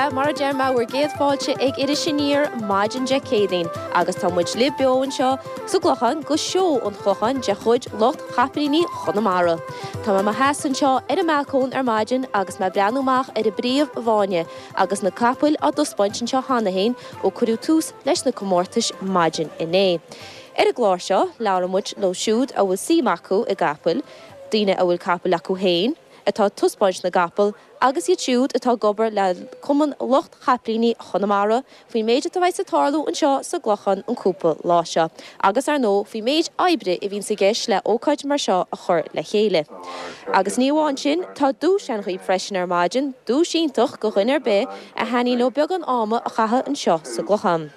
Sea, mar a deir mé, bhur gcéad fáilte ag Iris Aniar maidin Dé Céadaoin agus tá muid libh beo anseo sa gClochán go Seó an Chlocháin de chuid lucht Chapaillíní Chonamara. Tá mé i mo sheasamh anseo ar an mbalcóin ar maidin agus mé ag breathnú amach ar an bpríomh-fháinne agus na capaill á dtaispeáint anseo cheana féin ó cuireadh tús leis na comórtais maidin inné. Ar an gclár seo, labhróidh muid leo siúd a bhfuil suim acu i gcapaill, daoine a bhfuil capaill acu féin, atá ag taispeáint na gcapall, agus iad siúd atá ag obair le Cumann Lucht Chapaillíní Chonamara faoin méid atá bheas ag tarlú anseo sa gClochán an cúpla lá seo agus ar ndóigh faoin méid oibre a bhíonns i gceist le ócáid mar seo a chur le chéile. Agus ní amháin sin, tá duais ann dhaoibh freisin ar maidin, duais iontach go dhuine ar bith a thaitníonn leo beagán ama a chaitheamh anseo sa gClochán.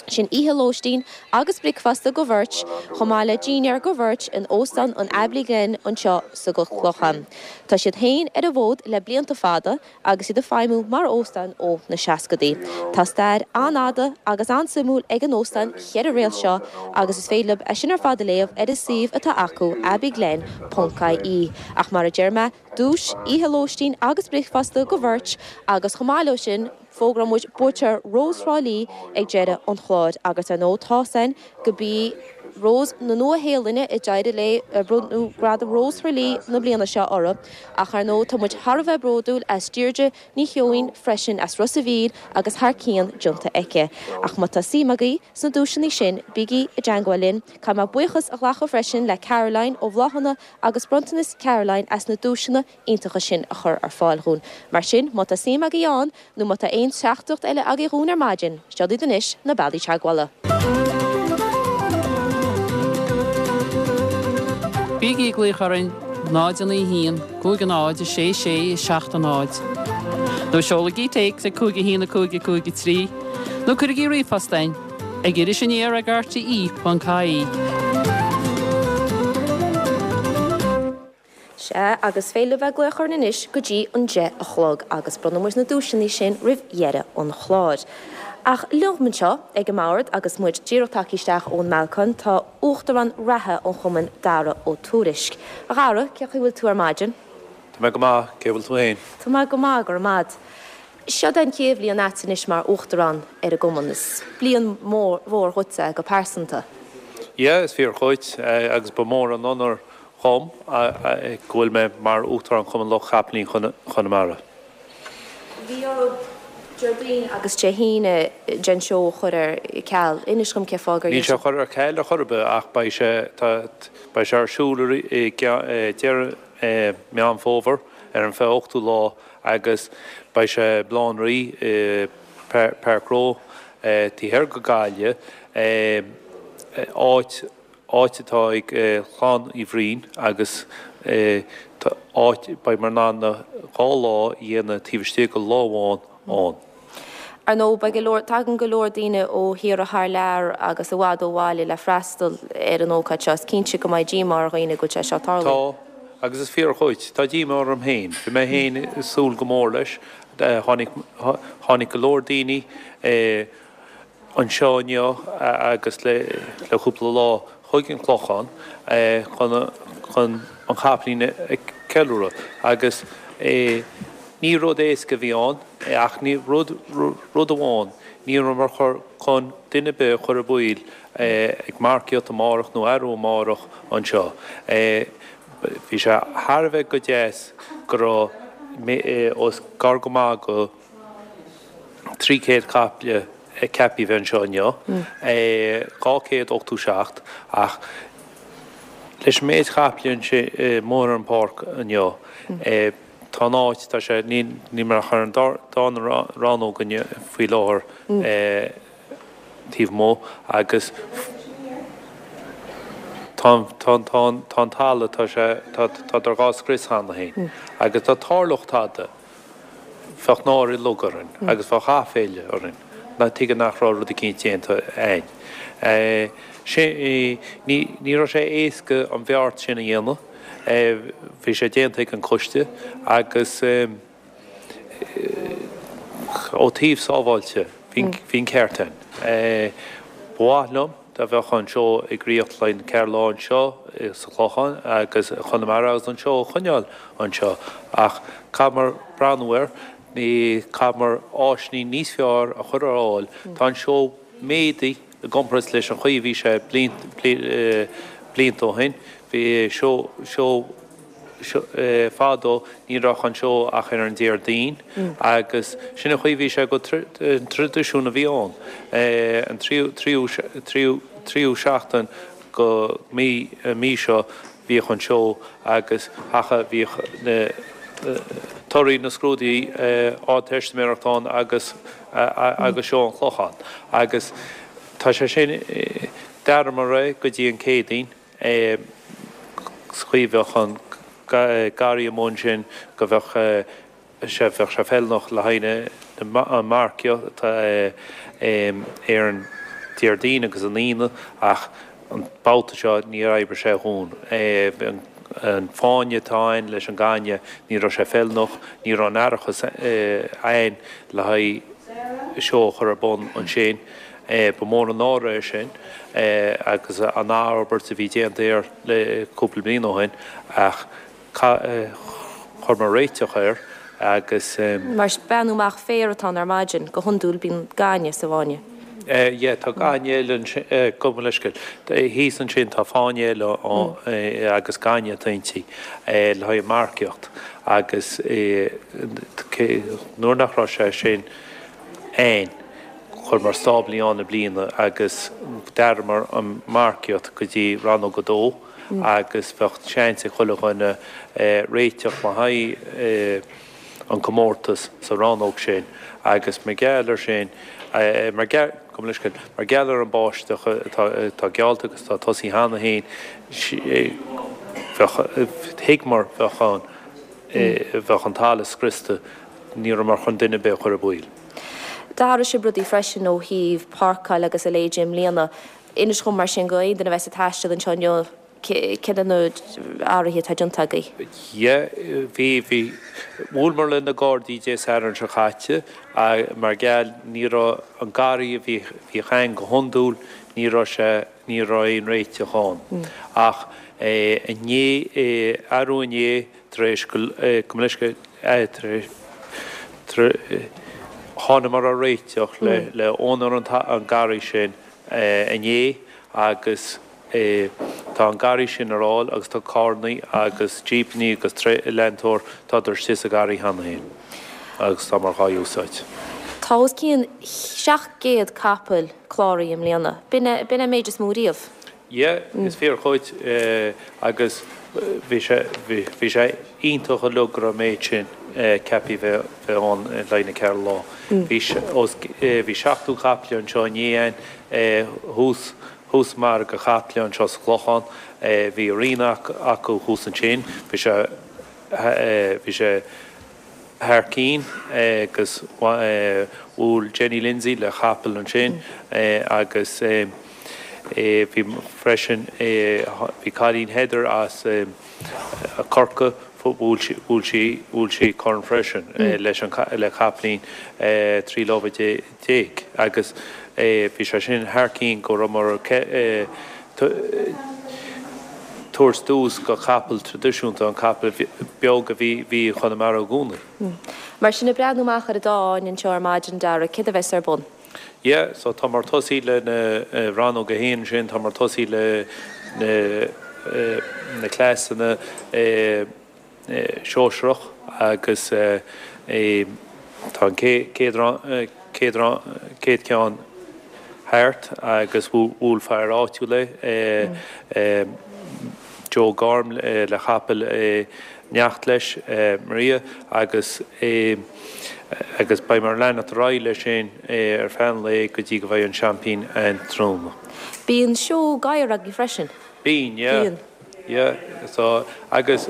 Sin oíche lóistín agus bricfeasta go bheirt, chomh maith le dinnéar go bheirt in Óstán an Abbey Glen anseo sa gClochán. Tá siad féin ar an bhfód le blianta fada agus iad ag feidhmiú mar óstán ó na seascadaí. Tá stair an-fhada agus an-suimiúil ag an óstán cheithre réalt seo agus is féidir libh é sin ar fad a léamh ar an suíomh atá acu, abbeyglen ponc ie. Ach mar a deir mé, duais, oíche lóistín agus bricfeasta go bheirt agus chomh maith leo sin, Fógróidh muid buaiteoir Rós Thrá Lí ag deireadh an chláir agus ar ndóigh tá's againn go b'í Rós na Nua-Shéalainne a d'éirigh léi ar bronnadh Gradam Rós Thrá Lí na bliana seo uirthi ach ar ndóigh tá muid thar a bheith bródúil as Deirdre Ní Sheoin freisin as Ros a' Mhíl agus thar cionn déanta aici. Ach má tá suim agaibh sna duaiseanna sin bígí i dteangmháil linn. Caithfidh mé buíochas a ghlacadh freisin le Caroline ó Bhláthanna agus Bronntanas Caroline as na duaiseanna iontacha sin a chur ar fáil dhúinn. Mar sin, má tá suim agaibh ann, nó má tá aon teachtaireacht eile agaibh dhúinn ar maidin, seo iad anois na bealaí teagmhála. Bígí ag glaoch orainn 0 9 1 5 0 6 6 7 0 nó seolaigí téacs ag 5 1 5 5 3 nó cuirigí ríomhphost chugainn ag irisaniar ag rte.ie. Sea, agus is féidir libh bheith ag glaoch orainn anois go dtí an 10 a chlog agus bronnfaidh muid na duaiseanna sin roimh dheireadh an chláir. Ach liom anseo ag an mbord agus muid díreach tagtha isteach ón mbalcóin tá Uachtarán reatha an chumainn, Dara Ó Tuairisg. A Dhara, cén chaoi a bhfuil tú ar maidin? Tá mé go maith, cén chaoi a bhfuil tú féin? Tá mé go maith, go raibh maith a'd. Seod é an chéad bhliain a'd anois mar Uachtarán ar an gcumann. Is bliain mhór dhuit é go pearsanta. Yeah, is fíor dhuit agus ba mhór an onóir dhom go bhfuil mé mar Uachtarán Chumann Lucht Chapaillíní Chonamara. Bhí oraibh Déardaoin agus Dé hAoine den seó a chur ar ceal. Inis dhom cén fáth gur Níl sé curtha ar ceal ar chor ar bith ach beidh sé beidh sé ar siúl i deireadh Meán Fómhair ar an 28ú lá agus beidh sé i mBaile Átha an Rí i Páirc Róimh taobh thiar go Gaillimh áit áit atá ag Clann Uí Bhriain agus áit, beidh muid in ann na dhá lá a dhéanamh taobh istigh de lá amháin ann. Ar ndóigh, beidh go leor, tagann go leor daoine ó thíortha thar lear agus i bhfad ó bhaile le freastal ar an ócáid seo. Is cinnte go mbeidh díomá ar dhaoine go bhfuil sé seo ag tarlú. Tá, agus is fíor dhuit, tá díomá orm féin. Bhí mé féin ag súil go mór leis. Tháinig, tháinig go leor daoine. anseo inniu agus le cúpla lá chuig an Clochán chun an chapaillín a cheiliúradh agus ní rud éasca a bhí ann ach rud rud amháin, ní rabhamar chun duine ar bith a chur i baol ag marcaíocht amárach nó arú amárach anseo. Bhí sé thar a bheith go deas go raibh os gar go maith go 300 caiple ceaptha a bheith anseo inniu, 287, ach leis an méid caiple amuigh ar an bpáirc inniu, tá an áit, tá sé, níl muid ach ar an dara rannóg inniu faoi láthair taobh amuigh agus tá an, tá an, tá an talamh, tá sé, tá, tádar dhá scrios cheana féin agus dá dtarlódh tada. Bheadh náire uilig orainn agus bheadh aiféala orainn ná tuige nach raibh rud eicínt déanta a'ainn. Ní ní raibh sé éasca an bheart sin a dhéanamh. Bhí sé déanta ag an coiste agus ó taobh sábháilte bhí bhí an ceart a'ainn. Ba mhaith liom dá mbeadh an seó ag ritheacht le ceithre lá anseo sa Chlochán agus i Chonamara agus an seó a choinneáil anseo ach caithfear breathnú air. Chaithfeamar áiseanna níos fearr a chur ar fháil. Tá an seó méadaithe i gcomparáid leis an chaoi a bhí sé blianta ó shin. Bhí seó, seó, fadó ní raibh an seó ach ar an Déardaoin agus sin an chaoi a bhí sé go an traidisiún a bhí ann. An tríú, tríú, tríú, tríú seachtain go mí, an mí seo bhíodh an seó agus thaca bhíodh na torthaí na scrúduithe Ardteistiméireachta ann agus agus seó an Chlocháin agus tá sé sin d'athraíomar é go dtí an Céadaoin sa chaoi a bheadh an garraí amuigh ansin go bheadh sé, bheadh sé feiliúnach le haghaidh an marcaíocht ar an Déardaoin agus an Aoine ach an babhta seo níor oibrigh sé dhúinn. An fáinne atá ann leis an gaineamh, ní raibh sé feiliúnach, ní raibh an árachas ann le haghaidh seó a chur ar bun ansin. Ba mhór an náire é sin agus an athfhorbairt a bhí déanta air le cúpla bliain ó shin ach Chuireamar réiteach air agus. Mar beannú amach féar atá ann ar maidin, go hiondúil bíonn gaineamh sa bhfáinne. Yeah, tá gaineamh eile ansin, gabh mo leithscéal, thíos ansin tá fáinne eile agus gaineamh atá inti le haghaidh marcaíocht agus nuair nach raibh sé sin ann, chuireamar stáblaí ann i mbliana agus d'athraíomar an marcaíocht go dtí rannóg a dó. agus bheadh seans ag chuile dhuine réiteach le haghaidh an comórtas sa rannóg sin agus mar gheall ar sin, mar gheall, gabh mo leithscéal, mar gheall ar an báisteach atá geallta agus atá tosaithe cheana féin, bheadh, thuigeamar, bheadh an, bheadh an talamh scriosta, ní rabhamar chun duine ar bith a chur i baol. D'athraigh sibh rudaí freisin ó thaobh páirceáil agus a leithéid i mbliana. Inis dhom mar sin go aon duine a bheas ag taisteal anseo inniu, céard iad na hathruithe atá déanta agaibh? Yeah, bhí, bhí. Bhuaileamar le na Gardaí Dé Sathairn seo caite mar gheall ní raibh an garraí a bhí, bhíodh ann go hiondúil, ní raibh sé, ní raibh aon réiteach ann. Ach inné, arú inné tar éis go, gabh mo leithscéal, tar éis, tar, thánamar ar réiteach le, le úinéir an garraí sin inné agus tá an garraí sin ar fháil agus tá carrannaí agus jípeannaí agus leantóir, tádar istigh sa gharraí cheana féin agus támar dhá úsáid. Tá os cionn 700 capall cláraithe i mbliana. B'in é an méid is mó riamh. Yeah, is fíor dhuit agus bhí sé, bhí sé iontach uilig go raibh an méid sin ceaptha bheith ann le haghaidh na ceithre lá. Bhí os, bhí 70 caiple anseo inné thuas, thuas margadh caiple anseo sa Chlochán. Bhí arena acu thuas ansin. Bhí sé, bhí sé thar cinn agus bhuail Jenny Lindsay le capall ansin agus bhí freisin bhí cailín Heather as Corcaigh bhuail sí bhuail sí bhuail sí corn freisin leis an le capaillín 13 lámha agus bhí sé sin thar cinn go rabhamar tabhairt tús go capall traidisiúnta, an capall beag a bhí bhí i Conamara i gcónaí. Mar sin, ag breathnú amach ar an dá fháinne anseo ar maidin, Dara, céard a bheas ar bun? Yeah, so támar tosaí le na rannóg a haon sin, támar tosaí le na na cleasanna sóisearach agus tá an chéad chéad ceann thart agus bhuail fear áitiúil é, Joe Gorm le chapall neacht leis, Maria, agus agus beidh muid ag leanacht ar aghaidh leis sin ar feadh an lae go dtí go bheidh an seaimpín ann tráthnóna. Bíonn seó gadhar agaibh freisin. Bíonn, yeah. Bíonn. Yeah, so, agus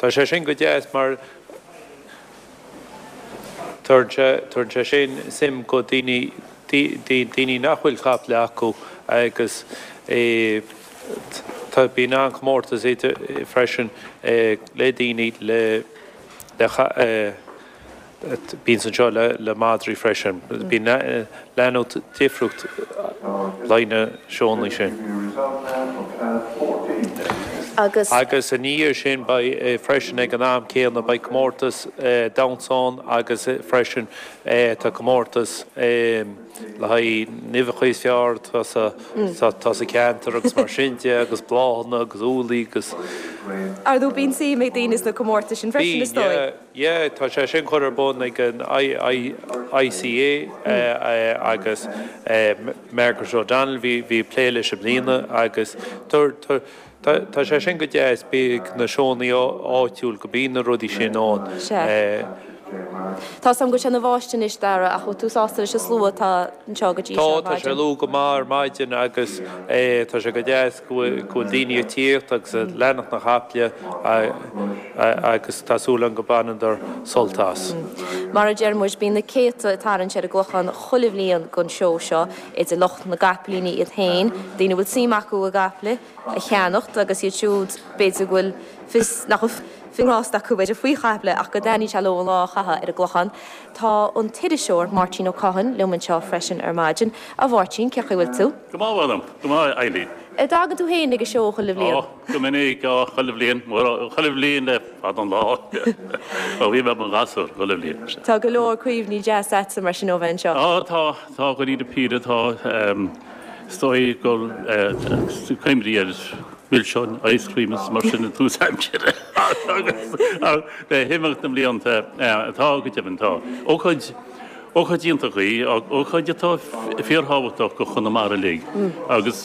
tá sé sin go deas mar tugann sé, tugann sé sin suim go daoine, daoine nach bhfuil caiple acu agus tá, bíonn an-chomórtas idir, freisin le daoine le, le, Bíonn anseo le madraí freisin. Bíonn leanúint difriúil le na seónna sin. Agus. Agus ina dhiaidh sin beidh freisin ag an am céanna beidh comórtas damhsa ann agus freisin tá comórtas le haghaidh na huibheacha is fearr atá sa cheantar agus mar sin de agus bláthanna agus úllaí agus. Ar ndóigh bíonn suim ag daoine sna comórtais sin freisin is dóigh. Bíonn, yeah, yeah, tá sé sin curtha ar bun ag an ICA agus Margaret O'Donnell bhí ag plé leis i mbliana agus tá sé sin go deas, bíodh na seónna áitiúil go mbíonn na rudaí sin ann. Sea. Tá 's agam go bhfuil sé ina bháisteach anois, Dara, ach bhfuil tú sásta leis an slua atá anseo go dtí seo ar Tá, tá sé maidin? luath go maith ar maidin agus tá sé go deas go bhfuil daoine ag tíocht agus ag leanacht na caiple agus tá súil agam go mbaineadar sult as. Mar a deir muid, bíonn na céadta ag tarraingt ar an gClochán chuile bhliain don seó seo, idir lucht na gcapaillíní iad féin, daoine a bhfuil suim acu i gcaiple a cheannacht agus iad siúd b'fhéidir go bhfuil fios nach bhfuil fios a ngrást acu b'fhéidir faoi chaiple ach go dtaitníonn sé leo an lá a chaitheamh ar an gClochán. Tá an t-iriseoir Máirtín Ó Cadhain liom anseo freisin ar maidin. A Mháirtín, cén chaoi a bhfuil tú? Go maith, a mh'anam. Go maith, a Eilín. An dtagann tú féin ag an seó chuile bhliain? Ó, go minic, ó, chuile bhliain, chuile bhliain le fada an lá. Ó bhí mé i mo ghasúr, chuile bhliain. Tá go leor cuimhní deasa agatsa mar sin ó bheith anseo. Ó, tá, tá, dáiríre píre, tá, is dóigh gur cuimhní ar mhilseáin, ice cream is mar sin i dtús aimsire agus le himeacht na mblianta, tá, go deimhin, tá. Ócáid. Ócáid iontach í, ócáid atá fíorthábhachtach do Chonamara uilig agus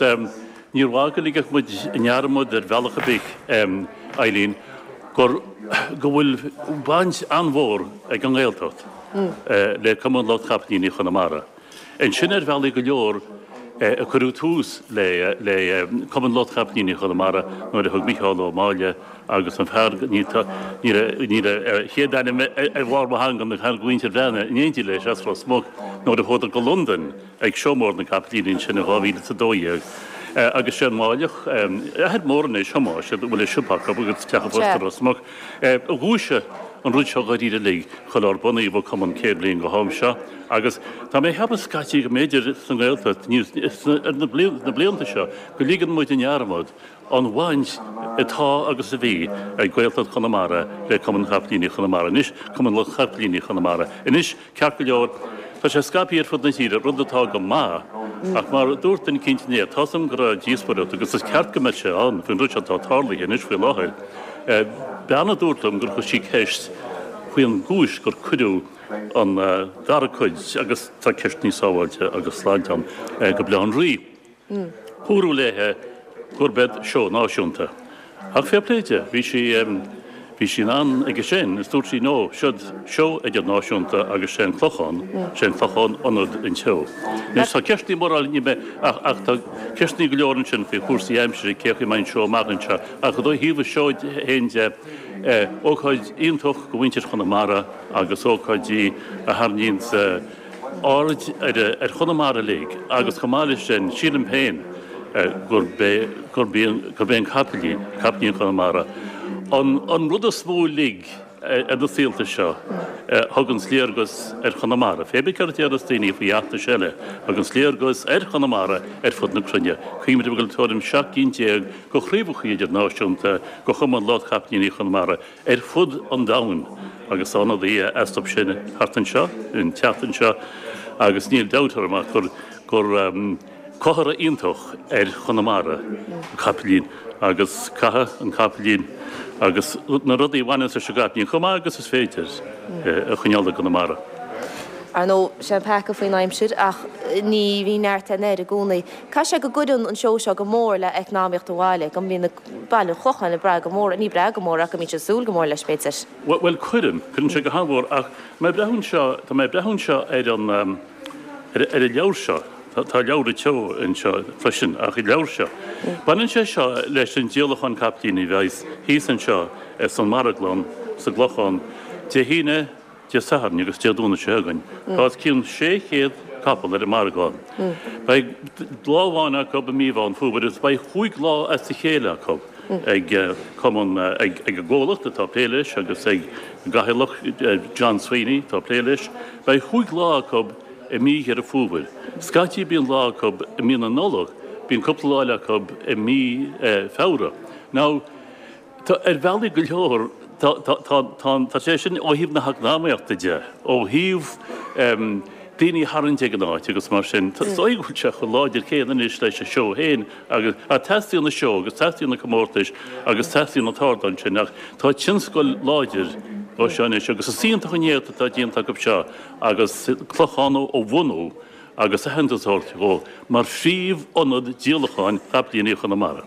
níor mhaith go ligfeadh muid i ndearmad ar bhealach ar bith, Eileen, gur, go bhfuil baint an-mhór ag an nGaeltacht le Cumann Lucht Chapaillíní Chonamara. Ansin ar bhealaí go leor a cuireadh tús le Cumann Lucht Chapaillíní Chonamara nuair a thug Micheál Ó Máille Agus an fear, níl a chéad ainm ar bharr mo theanga, an fear de Mhuintir Bhreathnaigh in éindí leis as Ros Muc, nuair a chuadar go Londain ag Seó Mór na gCapaillíní ansin in 2012. Agus sé an Máilleach, athair mór anois, Tomás, a bhfuil a siopa acu agus teach an phoist i Ros Muc, a dhúisigh an rud seo dháiríre uilig, chuile ár bunaíodh an cumann 100 bliain go ham seo. Agus tá mé ag ceapadh scaití go mb'fhéidir sa nGaeltacht, ar na blianta seo, go ligeann muid i ndearmad an bhaint atá agus a bhí ag Gaeltacht Chonamara le Cumann Chapaillíní Chonamara anois, Cumann Lucht Chapaillíní Chonamara anois, ceart go leor, tá sé scaipthe ar fud na tíre, rud atá go maith, ach mar a dúirt duine eicínt inné, tá's agam go raibh díospóireacht, agus is ceart go mbeadh sé ann, faoin rud seo atá tarlaithe anois faoi láthair. Bean a dúirt liom gur chuir sí ceist faoin gcúis gur cuireadh an dara cuid, agus tá ceisteanna sábháilte agus sláinte ann, go Baile Átha an Rí. Dúradh léithe gurb iad seó náisiúnta. Ach fair play di, bhí sí, bhí sí in ann aige sin is dúirt sí no, seod seó idirnáisiúnta agus sé an Clochán, sé an Clochán ionad an tseó. Anois tá ceisteanna mórán, ní bheidh, ach, ach tá ceisteanna go leor ansin faoi chúrsaí aimsire, cé chaoi a mbeidh an seó amach anseo. Ach ó thaobh an seó féin de, ócáid iontach do mhuintir Chonamara agus ócáid í a tharraingíonn aird ar Chonamara uilig agus chomh maith leis sin, sílim féin gurb é gurb é an capaillín, capaillín Chonamara, an rud is mó uilig ar na saolta seo a thuganns léargas ar Chonamara. Pé bith céard a déarfas daoine faoi fheachtais eile, thuganns léargas ar Chonamara ar fud na cruinne. Cuimhnigh go bhfuil tuairim 17 gcinn de chraobhacha idirnáisiúnta de Chumann Lucht Chapaillíní Chonamara ar fud an domhain agus tá ionadaithe astu sin thart anseo an tseachtain seo agus níl dabht orm ach gur gur comhartha iontach ar Chonamara an capaillín agus caithfidh an capaillín agus na rudaí a bhaineanns leis an gcapaillín chomh maith agus is féidir a choinneáil i gConamara. Ar ndóigh, sé an peaca faoin aimsir ach ní bhíonn neart den air i gcónaí. Caithfidh sé go gcuireann an seó seo go mór le eacnamaíocht an bhaile, go mbíonn baile an Chlocháin ag brath go mór, ní brath go mór ach go mbíonn siad ag súil go mór leis b'fhéidir. Bhuel, cuireann, cuireann sé go han-mhór ach mé ag breathnú anseo, tá mé ag breathnú anseo ar an, ar an leabhar seo, tá leabhar an tseó anseo freisin ach an leabhar seo, baineann sé seo leis an díolachán capaillíní a bheas thíos anseo san marglann sa gClochán Dé hAoine, Dé Sathairn agus Dé Domhnaigh seo chugainn. Tá os cionn 600 capall ar an marglann. Beidh lá amháin acu i mí Mheán Fómhair agus beidh chúig lá as a chéile acu ag cumann, ag an gcomhlacht atá ag plé leis agus ag an gcathaoirleach John Sweeney atá ag plé leis. Beidh chúig lá acu i mí Dheireadh Fómhair. Scaití bíonn lá acu i mí na Nollag, bíonn cúpla lá eile acu i mí Feabhra. Now. Tá, ar bhealaí go leor, tá, tá, tá, tá, tá sé sin ó thaobh na heacnamaíochta de, ó thaobh daoine a tharraingt ag an áit agus mar sin. Is dóigh go bhfuil sé chomh láidir céanna anois leis an seó féin agus, ach teastaíonn an seó agus teastaíonn na comórtais agus teastaíonn an t-ardán sin ach tá tionscal láidir ó seo anois agus is iontach an éacht atá déanta acu seo agus Clochán a bhunú agus aitheantas a thabhairt dhó mar phríomh-ionad díolacháin chapaillíní Chonamara.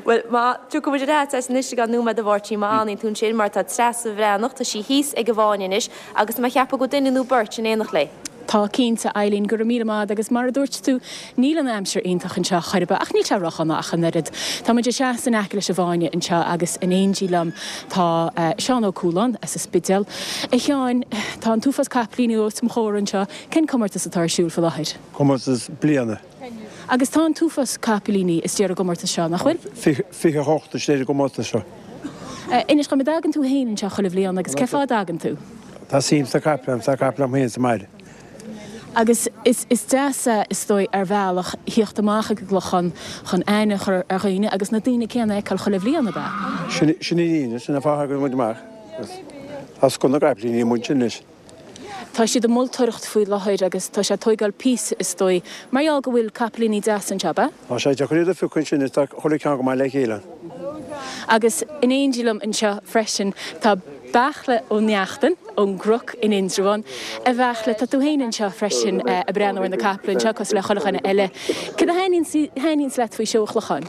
Bhuel, má, tiocfaidh muid ar ais anois i gceann nóiméad a Mháirtín, má fhanann tú ansin, mar tá Treasa Bhreathnach, tá sí thíos ag an bhFáinne anois agus tá mé ag ceapadh go bhfuil duine nó beirt in éineacht léi. Tá cinnte, Eileen, go raibh míle maith agat agus mar a dúirt tú, níl an aimsir iontach anseo chor ar bith ach níl sé ródhona ach an oiread. Tá muid ag seasamh in aice leis an bhFáinne anseo agus in éindí liom tá Seán Ó Cualáin as an Spidéal. A Sheáin, tá an t-uafás capaillíní os mo chomhair anseo, Cén comórtas atá ar siúl faoi láthair? Comórtas bliana. Agus tá an t-uafás capaillíní istigh ar an gcomórtas seo, nach bhfuil? 28 istigh ar an gcomórtas seo. Inis dom, an dtagann tú féin anseo chuile bhliain agus cé fáth a dtagann tú? Tá suim sna caiple agam, tá caiple agam féin sa mbaile. Agus is deas é, is dóigh, ar bhealach, thíocht amach ag an gClochán chun aithne a chur ar dhaoine agus na daoine céanna a fheiceáil chuile bhliain, ab ea? Sin an fhírinne, sin an fáth a thagann muid amach. Tá scoth na gcapaillíní amuigh ansin anois. Tá siad ag moltóireacht faoi láthair agus tá sé ag tóigeáil píosa is dóigh, mar gheall go bhfuil capaillíní deasa anseo, ab ea? Tá sé deacair iad a phiocadh ansin is tá chuile cheann go maith le chéile. Agus in éindí liom anseo freisin tá Beartla Ó Neachtain ón gCnoc in Indreabhán. A Bheartla, tá tú féin anseo freisin ag breathnú ar na caiple anseo cosúil le chuile dhuine eile. Cad a thaitníonns leat faoi seó an Chlocháin?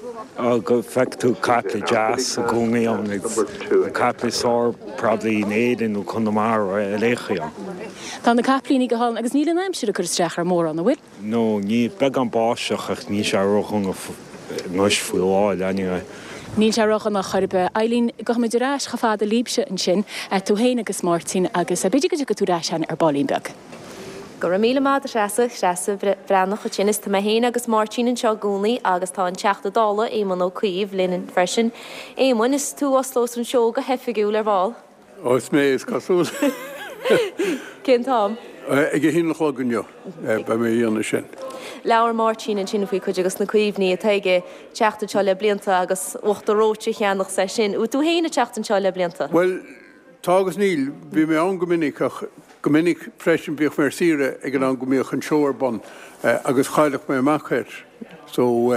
Go bhfeiceann tú caiple deas i gcónaí ann agus na caiple is fearr probably in Éirinn nó Conamara ar aon chaoi ann. Tá na caiplíní go hálainn agus níl an aimsir ag cur isteach air mórán, an bhfuil? No, níl, beagán báisteach ach níl sé ródhona anois faoi láthair anyway. Níl sé ródhona chor ar bith. Eileen, gabhfaidh muid ar ais chomh fada libhse ansin, tú féin agus Máirtín agus b'fhéidir go dtiocfaidh tú ar ais againn ar baillín beag. Go raibh míle maith agat a Threasa, Treasa Bhreathnach ansin is tá mé féin agus Máirtín anseo i gcónaí agus tá an Teachta Dála, Éamon Ó Cuív, linn freisin. Éamoin, is tú a osclós an seó go hoifigiúil ar ball. Ó, is mé is cosúil. Cén t-am? Ag a haon a chlog inniu beidh mé a dhéanamh sin. Labhair Máirtín ansin faoi cuid de na cuimhní atá aige teacht anseo le blianta agus uachtar reoite a cheannach 's é sin. Bhfuil tú féin ag teacht anseo le blianta? Bhuel, Tá agus níl. Bhí mé ann go minic ach go minic freisin bhíodh mé ar saoire ag an am go mbíodh an seó ar bun agus chailleadh mé amach air. So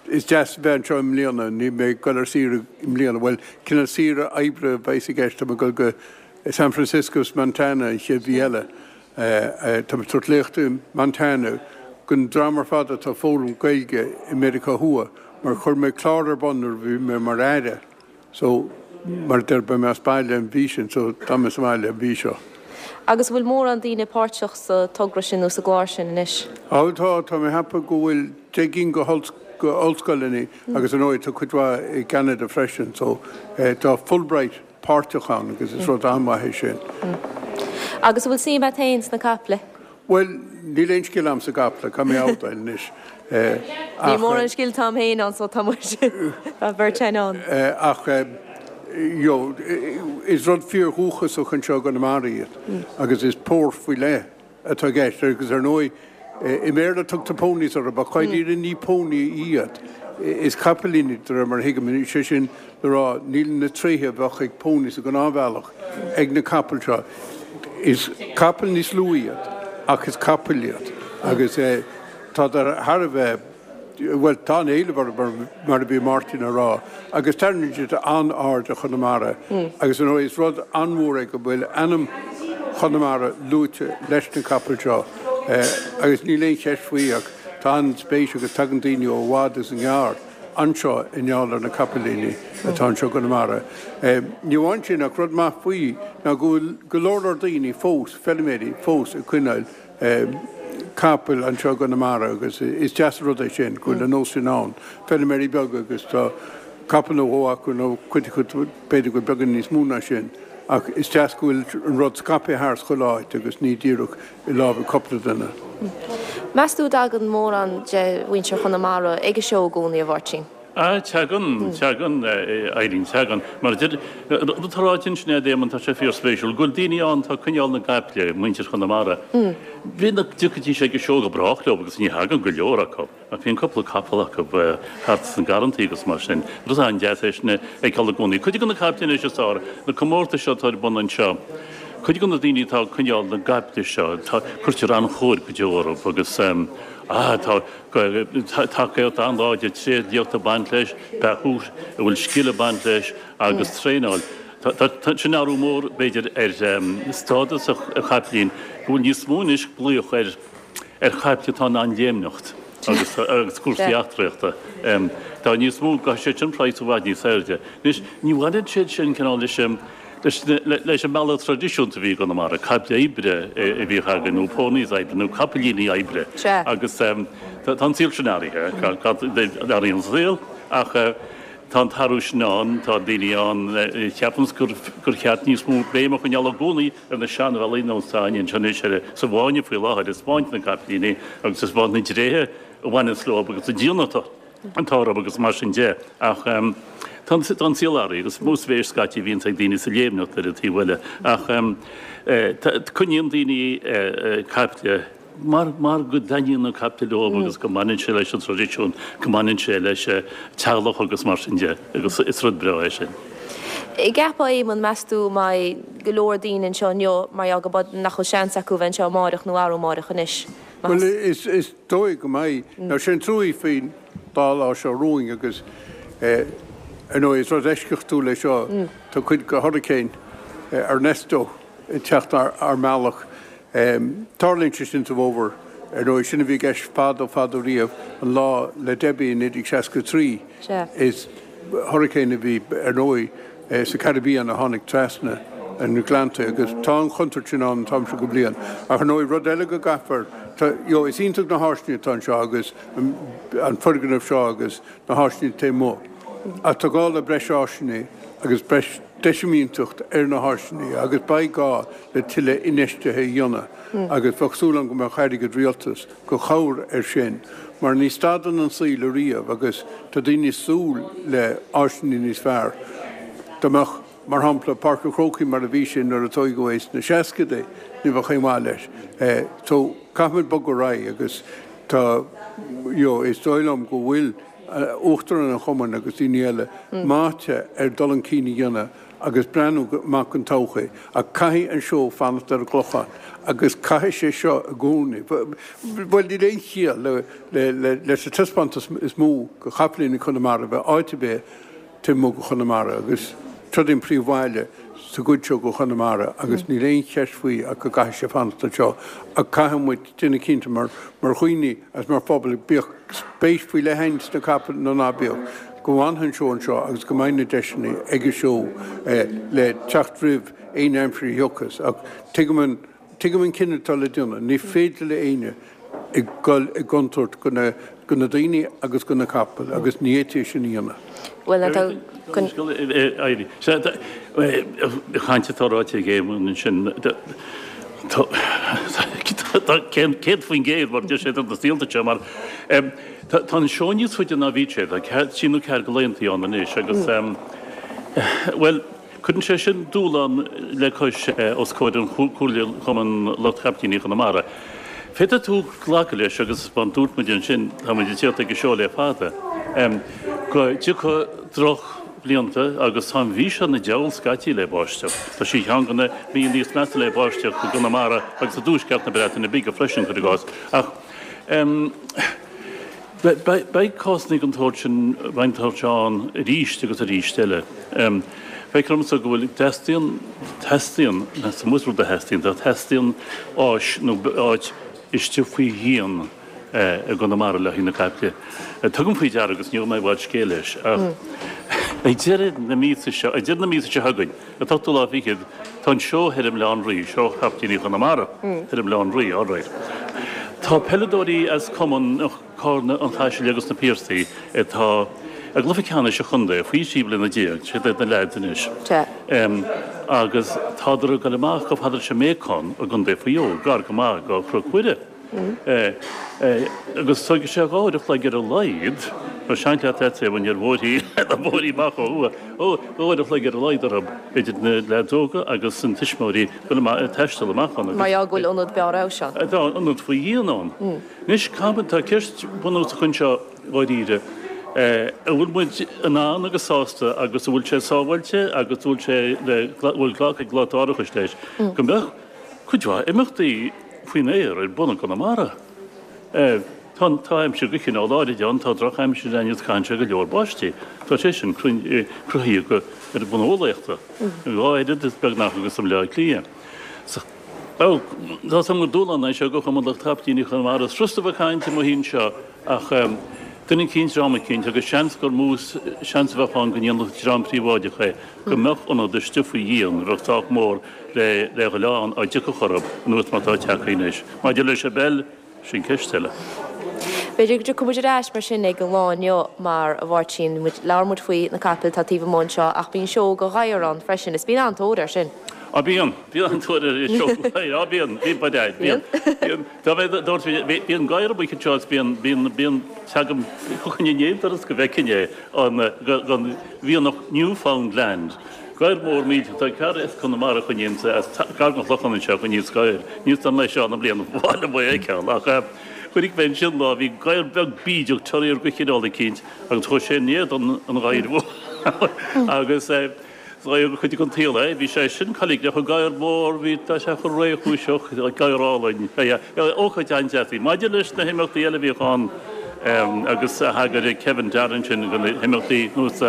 is deas bheith anseo i mbliana. Níl mé ag dul ar saoire i mbliana. Bhuel, cineál saoire oibre a bheas i gceist. Tá mé ag dul go San Francisco is Montana an chéad mhí eile. Tá mé ag tabhairt léachta i Montana don dream ar fad atá ag foghlaim Gaeilge i Meiriceá Thuaidh mar chuir mé clár ar bun nuair a bhí mé mar Aire. So, mar a deir, beidh mé as baile an mhí sin, so tá mé sa bhaile an mhí seo. Agus an bhfuil mórán daoine páirteach sa togra sin nó sa gclár sin anois? Á tá, tá mé ag ceapadh go bhfuil 10 gcinn go ollscoileanna agus ar ndóigh tá cuid mhaith i gCeanada freisin, so tá Fulbright páirteach ann agus is rud an-mhaith é sin. Agus an bhfuil suim agat féin sna caiple? Bhuel, níl aon scil a'm sa gcaiple, caithfidh mé a admháil anois. Níl mórán scil a'm féin ann so tá muid, tá beirt againn ann. Ach, you know, is rud fíor-dhúchasach anseo i gConamara iad agus is pór faoi leith atá i gceist agus ar ndóigh, i mBéarla tugtar ponies orthu ach dáiríre ní pony iad, is capaillíní de réir mar a thuigim, sé sin le rá níl na tréithe a bheadh ag pony sa ghnáthbhealach ag na capaill seo. Is capaill níos lú iad ach is capaill iad agus tádar thar a bheith, bhuel tá an-éileamh orthu mar a bhí Máirtín a rá agus tarraingíonn siad an-aird ar Chonamara agus ar ndóigh is rud an-mhór é go bhfuil ainm Chonamara luaite leis na capaill seo agus níl aon cheist faoi ach tá an-spéis agus tagann daoine ó i bhfad is i ngearr. anseo i ngeall ar na capaillíní atá anseo i gConamara. Ní amháin sin ach rud maith faoi ná go bhfuil go leor leor daoine fós, feilméaraí fós ag coinneáil capaill anseo i gConamara agus is deas an rud é sin go bhfuil an nós sin ann. Feilméaraí beaga agus tá capall nó dhó acu nó cuid acu b'fhéidir go bhfuil beagán níos mó ná sin ach is deas go bhfuil an rud scaipthe thar chuile áit agus ní díreach i lámha cúpla duine. Meas tú an dtagann mórán de mhuintir Chonamara ag an seó i gcónaí, a Mháirtín? Ah, teagann, teagann, Eileen, teagann. Mar a deir, rud atá ráite ansin a'd Éamonn, tá sé fíorspéisiúil, go bhfuil daoine ann atá ag coinneáil na gcaiple, muintir Chonamara. Bhí na, dtiocfaidís ag an seó go brách leo agus ní thagann go leor acu. Ach bíonn cúpla capall acu thart sna garrantaí agus mar sin. Rud an-deas é sin a fheiceáil i gcónaí. Cuid de na caiple anois is fearr, na comórtais seo atá ar bun anseo, cuid de na daoine atá ag coinneáil na gcaiple seo, tá, cuirtear an-chóir go deo orthu agus ah, tá tacaíocht an-láidir, tréidliacht ag baint leis, beathú a bhfuil scil ag baint leis agus traenáil. Tá sin athrú mór, b'fhéidir, ar stádas an chaiplín, go bhfuil níos mó anois glaoch ar ar chaiple atá in ann léimneacht agus agus cúrsaí eachtraíochta. Tá níos mó, caithfidh siad sin praghas i bhfad níos airde. Anois, ní bhaineann siad sin cineál leis an leis leis an mbealach traidisiúnta a bhí i gConamara, caiple oibre a bhíodh againn nó ponies oibre nó capaillíní oibre agus tá an saol sin athraithe, athraíonn an saol ach tá an t-athrú sin ann, tá daoine ann a cheapanns gur gur cheart níos mó béim a choinneáil i gcónaí ar na seanbhealaí nós atá againn anseo anois ar sa bhfáinne faoi láthair ag 'spáint na gcapaillíní agus ag 'spáint na dtréithe a bhaineanns leo agus an díonadh atá orthu agus mar sin de. Ach tá an tá an saol athraithe agus mó spéis scaití a bhíonns ag daoine sa léimneacht ar an taobh eile. Ach coinníonn daoine caiple Mar, mar go dtaitníonn na caiple leo agus go mbaineann sé leis an traidisiún, go mbaineann sé leis an teaghlach agus mar sin de agus is rud breá é sin. An gceapfá Éamonn, meas tú, mbeidh go leor daoine anseo inniu mar gheall go nach bhfuil seans acu a bheith anseo amáireach nó arú amáireach anois? Bhuel, is, is dóigh go mbeidh. Now, sé an truaí faoin dá lá seo romhainn agus ar ndóigh is rud eisceachtúil é seo, tá cuid de Hurricane Ernesto ag teacht ár mbealach. Tarlaíonn sé sin sa bhfómhar, ar ndóigh. Sin a bhí i gceist fadó fadó riamh, an lá le Debbie i 1963. Is hurricane a bhí, ar ndóigh, sa Caribbean a tháinig trasna na gleannta agus tá an chontúirt sin ann an t-am seo de bhliain. Ach ar ndóigh, rud eile go gcaithfear, you know, is iontach na háiseanna atá anseo agus an foirgneamh seo agus na háiseanna taobh amuigh. Ach tá gá le breis áiseanna agus breis deisimínteacht ar na háiseanna agus beidh gá le tuilleadh infheistithe a dhéanamh agus bheadh súil agam go mbeadh airgead rialtais go chabhair ar sin mar ní stadann an saol ariamh agus tá daoine ag súil le áiseanna níos fearr. Dá mbeadh, mar shampla, Páirc an Chrócaigh mar a bhí sé nuair a tóigeadh é sna seascadaí, ní bheadh aon mhaith leis. So caithfimid bogadh ar aghaidh agus tá, you know, is dóigh liom go bhfuil Uachtarán an Chumainn agus daoine eile meáite ar dul chun cinn a dhéanamh agus breathnú amach don todhchaí. Ach caithfidh an seó fanacht ar an gClochán agus caithfidh sé seo i gcónaí. Bhuel, níl aon chiall leis an taispeántas is mó de chapaillíní Chonamara a bheith áit ar bith taobh amuigh de Chonamara agus seo an príomhbhaile sa gcuid seo de Chonamara agus níl aon cheist faoi ach go gcaithfidh sé fanacht anseo. Ach caithfidh muid déanamh cinnte mar dhaoine agus mar phobal, bíodh spéis faoi leith againn sna capaill nó ná bíodh, go bhfanfaidh an seó anseo agus go mbeidh na deiseanna ag an seó le teacht roimh aon aimsir a thiocfas. Ach tuigim an, tuigim an cinneadh atá le déanamh. Ní féidir le éinne ag dul i gcontúirt go na, go na daoine agus go na capaill agus ní fhéadfaí é sin a dhéanamh. Bhuel, tá. Caint atá ráite ag Éamonn ansin, tá 100% mar deir sé na saolta seo mar tá an seó níos faide ná bhí sé, tá trí nó ceathair de laethantaí ann anois agus bhuel cuireann sé sin dúshlán le cois os comhair an Chomhairle Chumann Lucht Chapaillíní Chonamara. Féadfaidh tú glacadh leis agus mar dúirt muid ansin, tá muid ag tíocht ag an seó le fada, go dtiocfaidh drochbhlianta agus tá an mhí seo ina diabhal scaití le báisteach. Tá sí ceann de na míonna níos measa le báisteach i gConamara agus i dtuaisceart na Breataine Bige freisin, cuir i gcás. Ach beidh cásanna den tsórt sin, den tsórt seo ann arís agus arís eile. Feictear domsa go bhfuil, teastaíonn, teastaíonn, is iomaí rud a theastaíonn, tá, teastaíonn áis nó áit istigh faoi dhíon i gConamara le haghaidh na caiple. Tugaim faoi deara, agus ní gheobhaidh mé i bhfad scéil leis, ach ag deireadh na míosa seo, ag deireadh na míosa seo chugainn, an t-ochtú lá fichead, tá an seó thoir i mBaile Átha an Rí, seó Chapaillíní Chonamara thoir i mBaile Átha an Rí, alright. Tá peileadóirí as Cumann Carna, an Chaisil agus na Piarsaigh atá i gcluiche ceannais an chontae faoi 13 bliana, siad iad na leaids anois, agus tádar ag dul amach chomh fada leis an mBéacán i gContae Mhaigh Eo, gar go maith do Chnoc Mhuire. Agus tógfaidh sé dhá uair a chloig ar a laghad. Tá seanchleachtadh agat é bhain ar bhóithrí na bóithrí amach ó thuaidh. Ó, uair a chloig ar a laghad orthu, idir na leaids óga agus na tuismitheoirí, dul amach, ag taisteal amach ann agus. Mar gheall go bhfuil ionad barr fheabhais ann. Tá ionad faoi dhíon ann. Anois, caithfidh, tá ceist bhunúsach anseo dháiríre, an bhfuil muid in ann agus sásta agus an bhfuil sé sábháilte agus an bhfuil sé le, bhfuil glactha ag lucht árachais leis go mbeadh cuid mhaith imeachtaí faoin aer ar bun i gConamara. Tá, tá aimsir de chineál áirid ann, tá drochaimsir ann agus caitheann sé go leor báistí. Tá sé sin cruthaithe go, ar bhonn eolaíochta, dhá oiread is beagnach agus i mBleá Cliath. So, tá 's agam gur dúshlán é seo do Chumann Lucht Capaillíní Chonamara. Is furasta a bheith ag caint amuigh anseo ach duine eicínt, dream eicínt, agus seans gur mó seans a bheadh ann go ndéanfadh dream príobháideach é, go mbeadh ionad istigh faoi dhíon a bheadh sách mór le le dhul ann dá dtiocfadh orthu, anuas mar atá tagtha anois. Maidir leis an bpeil, Sin ceist eile. B'fhéidir go dtiocfaidh muid ar ais mar sin ag an lá inniu mar a Mháirtín, labhair muid faoi na capaill atá taobh amuigh anseo ach bíonn seó de ghadhair ann freisin is bíonn an-tóir air sin. Á bíonn, bíonn an-tóir ar an seó gadhair, á bíonn, bíonn ba deaid, bíonn, bíonn, dá mhéad a dúirt mé, bíonn gadhar amuigh anseo is bíonn, bíonn, bíonn, teagaim chugainn inné doras go bhfeicfinn é, an, an mhianach Newfoundland. Gadhar mór millteach. Tá cara as Conamara a choinníonns, as gar don Chlochán anseo, a choinníonns gadhair. Níl 's agam é seo na bliana ba mhaith liom é a fheiceáil ach chonaic mé ansin lá, bhí gadhar beag bídeach terrier de chineál eicínt agus chuaigh sé in éadan an ghadhair mhóir agus is dóigh gur chuid den tsaol é. Bhí sé sin coiligneach, an gadhar mór, bhí, tá sé chomh réchúiseach, gadhar álainn. Ócáid an-deas í. Maidir leis na himeachtaí eile a bhíodh ann agus a thagair Kevin Darren sin do na himeachtaí nós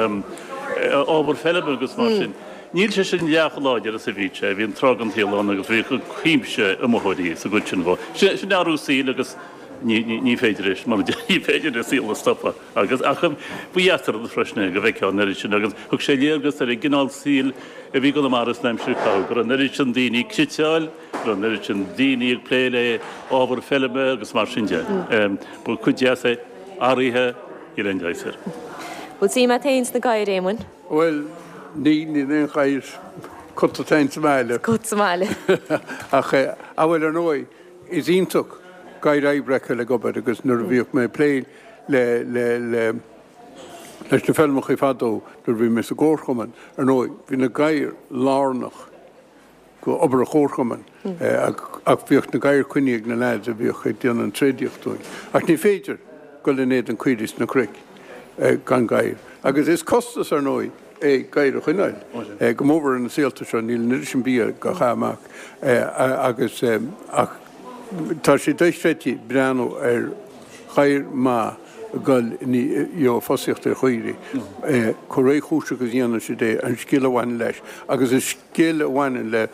ábhar feilme agus mar sin. Níl sé sin leath chomh láidir is a bhí sé. Bhí an tráth den tsaol ann agus bhíodh cuimse iomaitheoirí sa gcuid sin dhó. Sin athrú saoil agus ní féidir é, mar ní féidir an saol a stopadh agus ach ba dheas an rud freisin é go bhfeicfeá an oiread sin agus thug sé léargas ar an gcineál saoil a bhí i gConamara san aimsir a caitheadh, go raibh an oiread sin daoine ag cniotáil, go raibh an oiread sin daoine ag plé le ábhar feilme agus mar sin de. Ba chuid deas é athraithe. Níl aon leigheas air. Bhfuil suim agat féin sna gadhair, Éamoinn? Bhuel, níl, níl aon ghadhar. Cut atá ins an mbaile. Cut sa mbaile. Ach, ah bhuel, ar ndóigh, is iontach gadhair oibre a fheiceáil ag obair agus nuair a bhíodh mé ag plé le, le, le, leis na feilmeachaí fadó nuair a bhí mé sa gcomharchumann, ar ndóigh, bhí na gadhair lárnach. go obair an chomharchumainn ach bhíodh na gadhair coinnithe ag na leaids a bhíodh ag déanamh an tréadaíocht dúinn. Ach ní féidir dul in éadan caoirigh sna cnoic gan gadhair. Agus is costas, ar ndóigh, é gadhair a choinneáil, go mórmhór ar na saolta seo, níl an oiread sin bia á chaitheamh amach agus ach tá sé dochreidte breathnú ar ghadhar maith ag dul you know ag fosaíocht ar chaoirigh, chomh réchúiseach is a dhéanann siad é, an scil a bhaineann leis agus an scil a bhaineann le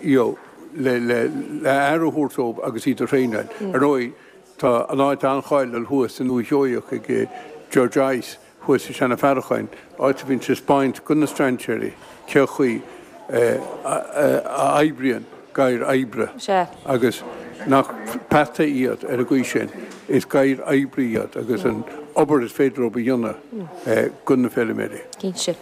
you know le le le aire a thabhairt dóibh agus iad a thraenáil. Ar ndóigh, tá an áit an-cháiliúil thuas i nDúiche Sheoigheach ag Ger Joyce thuas i Seanadh Faracháin, áit a bhíonn sé ag 'spáint do na strainséirí cé chaoi a oibríonn gadhair oibre agus nach peataí iad ar an gcaoi sin, is gadhair oibre iad agus an obair is féidir leo a dhéanamh do na feilméaraí. Cinnte.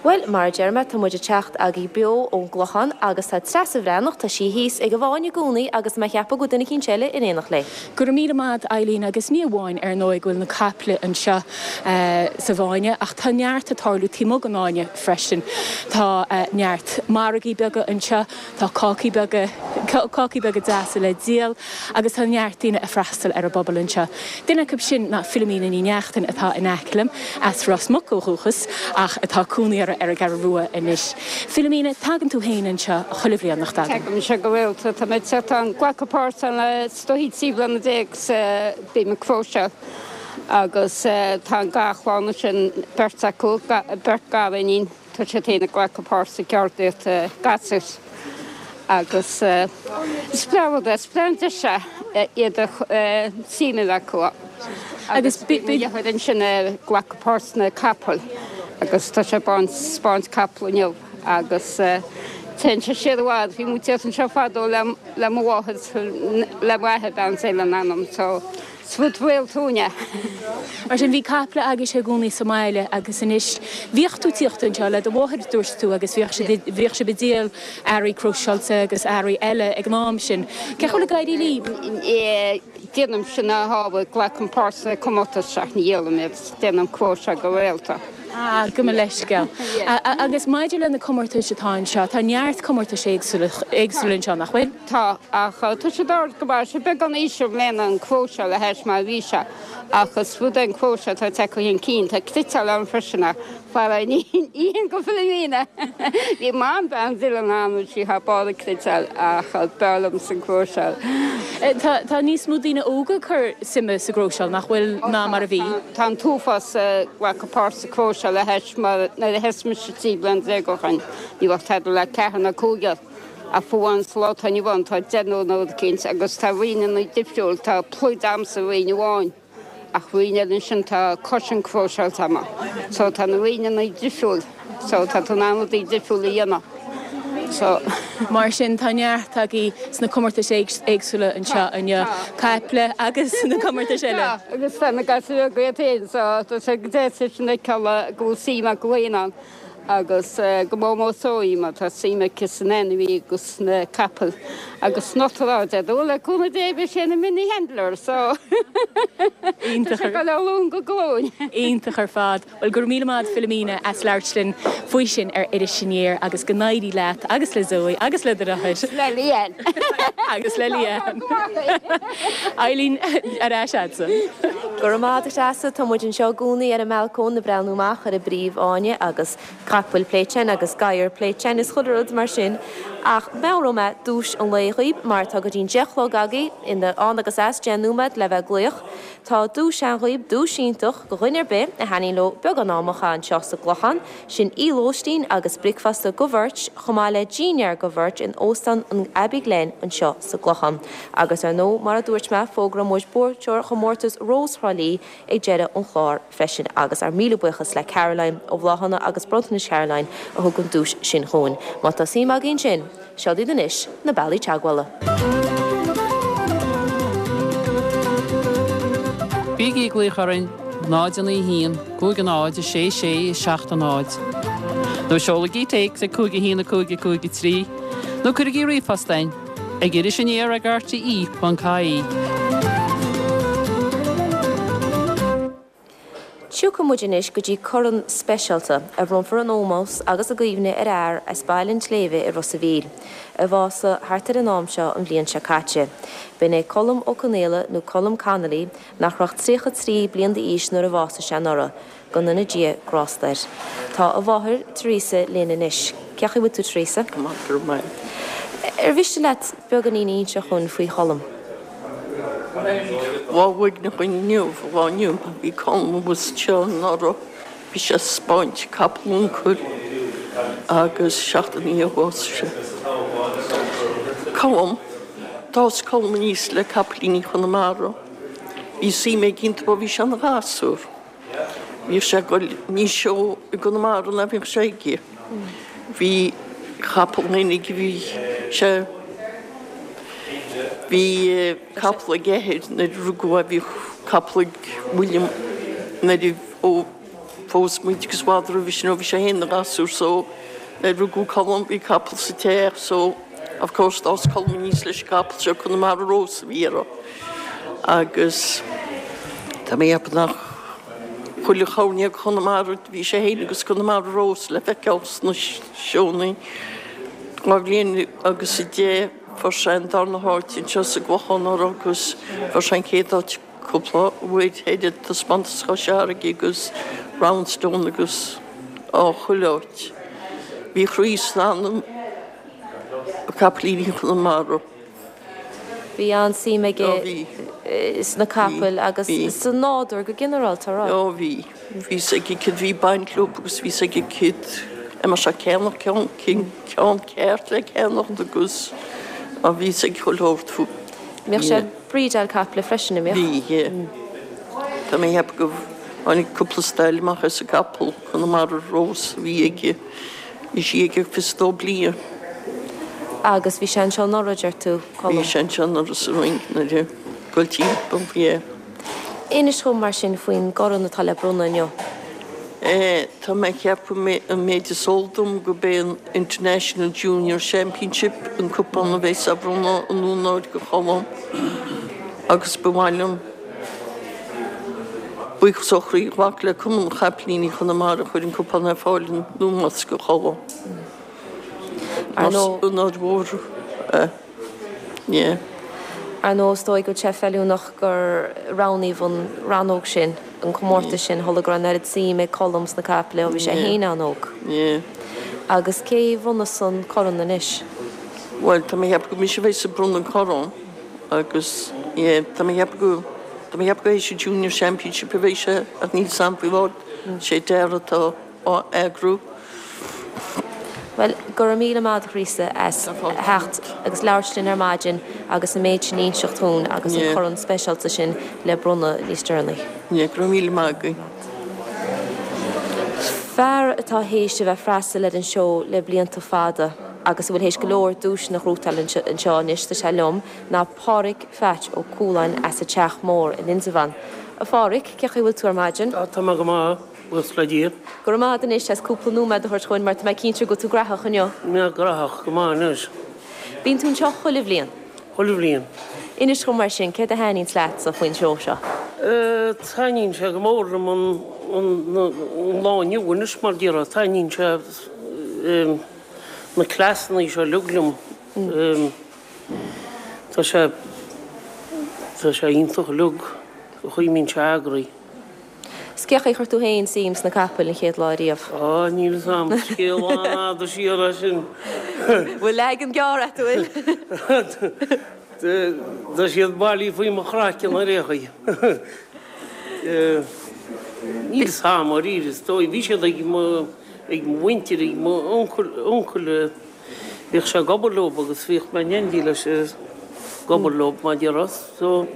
Bhuel, mar a deir mé, tá muid ag teacht agaibh beo ón gClochán agus tá Treasa Bhreathnach, tá sí thíos ag an bhFáinne i gcónaí agus mé ag ceapadh go bhfuil duine eicínt eile in éineacht léi. Go raibh míle maith a't Eileen agus ní amháin ar ndóigh go bhfuil na caiple anseo sa bhFáinne ach tá neart ag tarlú taobh amuigh den Fháinne freisin. Tá neart margaí beaga anseo, tá cácaí beaga, cácaí beaga deasa le díol agus tá neart daoine ag freastal ar an bpobal anseo. Duine acu sin ná Philomena Ní Neachtain atá in aice liom, as Ros Muc ó dhúchas ach atá cónaí uirthi ar an gCeathrú Rua anois. Philomena, tagann tú féin anseo chuile bhliain, nach dtagann? Tagaim anseo go rialta. Tá mé ag teacht ann, glacadh páirt ann le is dóichí 13 bliana 's bím ag cróiseáil agus tá an garchlann ansin, beirt acu, beirt gariníon. Tá siad féin ag glacadh páirt sa gceardaíocht gasúir agus is breá rud é, is breá an deis é iad a suim a bheith acu ann. Agus bhí mo dheartháir ansin ag glacadh páirt sna capaill agus tá sé ag baint 'spáint capall inniu agus téann sé siar i bhfad, bhí muid ag teacht anseo fadó le le mo mháthair, le m'athair bean Dé lena anam so Is rud réaltúin é. Mar sin, bhí caiple agaibhse i gcónaí sa mbaile agus anois, bhíodh tú ag tíocht anseo le do mháthair, dúirt tú, agus bhíodh siad, bhíodh sibh ag díol earraí cróiseáilte agus earraí eile ag an am sin. Cén chaoi a bhfuil ag éirí libh? Déanaimse na hábhair, glacaim páirt sna comórtais ach ní dhíolaim iad, déanaim cróiseáil go rialta. Ah, gabh mo leithscéal. Agus maidir le na comórtais atá anseo, tá neart comórtais éagsúla anseo, nach bhfuil? Tá, ach tá siad ard go maith, sé beagán íseal i mbliana an cróiseáil a thaisme mar a bhí sé, ach is rud é an cróiseáil atá ag teacht chun cinn, tá cniotáil ann freisin ach fara ní hin go Philomena. Bhí Mam bean Dillon ann bhí sí thar barr ag cniotáil ach b'fhearr liomsa an cróiseáil. Tá tá níos mó daoine óga ag cur suime sa gcróiseáil, nach bhfuil, ná mar a bhí? Tá an t-uafás ag glacadh páirt sa cróiseáil a thaisme mar nuair a thosaigh mise 13 bliana ó shin ní raibh tada le ceathrar nó cúigear. Ach fiú amháin sa lá atá inniu ann tá deichniúr nó rud eicínt agus tá roinneanna difriúil, tá pluid a'msa roinn amháin ach roinn eile ansin tá cushion cróiseáilte a'm. So tá na roinneanna difriúil so tá tú in ann rudaí difriúil a dhéanamh. So. Mar sin tá neart agaibh sna comórtais éagsúla anseo inniu, caiple agus na comórtais eile. Tá, agus tá na gasúir beaga iad féin so tá sé go deas é sin a fheiceáil go bhfuil suim acu féin ann. Agus go mór mór Zoe mar tá suim aici san ainmhí agus sna capaill agus sna tráideadh. Bhuel le cúnamh Dé beidh sé ina mini handler so Iontach tá sé ag dul ó ghlúin go glúin. Iontach ar fad. Bhuel go raibh míle maith agat Philomena as labhairt linn faoi sin ar Iris Aniar agus go n-éirí leat agus le Zoe agus le do dheartháir. Le Leanne. Agus le Leanne. Eileen, ar ais a'dsa. Go raibh maith agat a Threasa. Tá muid anseo i gcónaí ar an mbalcóin ag breathnú amach ar an bpríomh-fháinne agus capaill pléite againn agus gadhair pléite againn is chuile rud mar sin. Ach meabhróidh mé duais an lae dhaoib mar tá go dtí'n 10 a chlog agaibh, ann agus as, 10 nóiméad le bheith ag glaoch. Tá duais ann dhaoib, duais iontach do dhuine ar bith a thaitníonn leo beagán ama a chaitheamh anseo sa gClochán. Sin oíche lóistín agus bricfeasta do bheirt, chomh maith le dinnéar do bheirt in Óstán an Abbey Glen anseo sa gClochán. Agus ar ndóigh, mar a dúirt mé, fógróidh muid buaiteoir chomórtas Rós Thrá Lí ag deireadh an chláir freisin. Agus ár míle buíochas le Caroline ó Bhláthanna agus Bronntanais Caroline a thug an duais sin chugainn. Má tá suim agaibh ansin, Seo daoibh anois na bealaí teagmhála. Bígí ag glaoch orainn 0 9 1 5 0 6 6 7 0 nó seolaigí téacs ag 5 1 5 5 3 nó cuirigí ríomhphost chugainn ag irisaniar ag rte.ie. Tiocfaidh muid anois go dtí corn speisialta a bhronnfar in ómós agus i gcuimhne ar fhear as Baile an tSléibhe i Ros a' Mhíl, a bhásaigh thart ar an am seo an bhliain seo caite. B'in é Colm Ó Conaola nó Colm Connolly nach raibh ach 33 bliain d'aois nuair a bhásaigh sé anuraidh. Go ndéana Dia grásta air. Tá a mháthair, Teresa, linn anois. Cén chaoi a bhfuil tú, Teresa? Go maith, go raibh maith. Ar mhiste leat beagáinín a inse dhúinn faoi Cholm? Lá uaigneach inniu, an lá inniu, bhí Colm abhus anseo anuraidh, bhí sé ag 'spáint capall uncail agus seachtain ó shin a bhásaigh sé. Colm, d'fhás Colm aníos le capaillíní Chonamara, bhí suim aige iontu ó bhí sé ina ghasúr. Bhíodh sé ag goil níos seó i gConamara ná bhíodh sé aige. Bhí capall féin aige, bhí sé, bhí capall ag a athair nuair a rugadh é, bhí capall ag William nuair a, ó phós muid agus i bhfad roimhe sin ó bhí sé féin ina ghasúr so nuair a rugadh Colm bhí capall sa teach so of course d'fhás Colm aníos leis an gcapall seo Conamara Rose a bhí air agus tá mé ag ceapadh nach chuile choirnéal Chonamara bhí sé féin agus Conamara Rose le feiceáil sna seónna. 2 bhliain agus 10 fuair sé an darna háit anseo sa gClochán anuraidh agus fuair sé an chéad áit cúpla uair ar an taispeántas Chois Fharraige agus Roundstone agus á chuile áit. Bhí a chroí is a anam i gcapaillíní Chonamara. Bhí an-suim aige sna capaill agus sa nádúr go ginearálta, an raibh? Ó bhí. Bhí fhios aige céard bhí ag baint leo agus bhí fhios aige céard a mbeadh sé ag ceannach, ceann, ceann ceart le ceannacht agus á bhí fhios aige chuile shórt fúthu. Bhíodh sé ag breedeáil caiple freisin, an mbíodh? Bhí, yeah. Tá mé ag ceapadh go tháinig cúpla stail amach as an gcapall, Conamara Rose a bhí aige. Bhí sí aige 22 bliain. Agus bhí sé anseo anuraidh, deir tú, Colm? Bhí sé anseo anuraidh sa Rinn nuair a goil timpeall, yeah. Inis dhom mar sin faoin gcorn atá le bronnadh inniu. Eh, tá mé ag ceapadh an méid is eol dom gurb é an International Junior Championship an cupán a bheas á bhronnadh in onóir do Cholm. Agus ba mhaith liom buíochas ó chroí a ghlacadh le Cumann Chapaillíní Chonamara a chuir an cupán ar fáil in ómós do Cholm. Ar ndóigh. Onóir mhór é. Yeah. Ar ndóigh, is dóigh go bhfuil sé feiliúnach gur roghnaíodh an rannóg sin, an comórtas sin, tharla go raibh an oiread suim ag Colm sna caiple ó bhí sé féin an-óg. Yeah. Agus cé a bhronnfas an corn anois? Bhuel, tá mé ag ceapadh gur mise a bheas ag bronnadh an corn agus, yeah, tá mé ag ceapadh go, tá mé ag ceapadh go é sa Junior Championship a bheidh sé ach níl 's a'm faoi láthair, sé Dara atá á eagrú. Bhuel, go raibh míle maith agat a Threasa as theacht agus labhairt linn ar maidin agus an méid sin a inseacht dhúinn agus an corn speisialta sin le bronnadh níos deireanaí. Yeah, go raibh míle maith agaibh. Fear atá théis a bheith freastal ar an seó le blianta fada agus a bhfuil théis go leor duaiseanna a ghnóthachtáil anseo anois, tá sé liom, ná Páraic Pheait Ó Cualáin as an Teach Mór in Indreabhán. A Pháraic, cén chaoi a bhfuil tú ar maidin? Tá mé go maith, buíochas le Dia. Go raibh maith agat anois as cúpla nóiméad a thabhairt chugainn mar tá mé cinnte go bhfuil tú graitheach inniu. Mé graitheach go maith anois. Bíonn tú anseo chuile bhliain? Chuile bhliain. Inis dhom mar sin, céard a thaitníonns leatsa faoin seó seo? Taitníonn sé go mór liom an lá inniu anois mar déarfá, taitníonn sé na cleasanna seo uilig liom. Tá sé tá sé iontach uilig, an chaoi a mbíonn sé eagraithe. 'S cén chaoi a chuir tú féin suim sna capaill an chéad lá riamh? Á, níl 'fhios a'm, scéal an-fhada siar é sin. Bhfuil leagan gearr a't, an bhfuil? Tá siad bailithe faoi mo chraiceann ar aon chaoi. Níl 'fhios a'm, dháiríre, is dóigh. Bhí siad ag mo, ag mo mhuintir, ag mo uncail, uncail, bhíodh sé ag obair leob agus bhíodh mé in éindí leis ag obair leob, mar déarfá. So.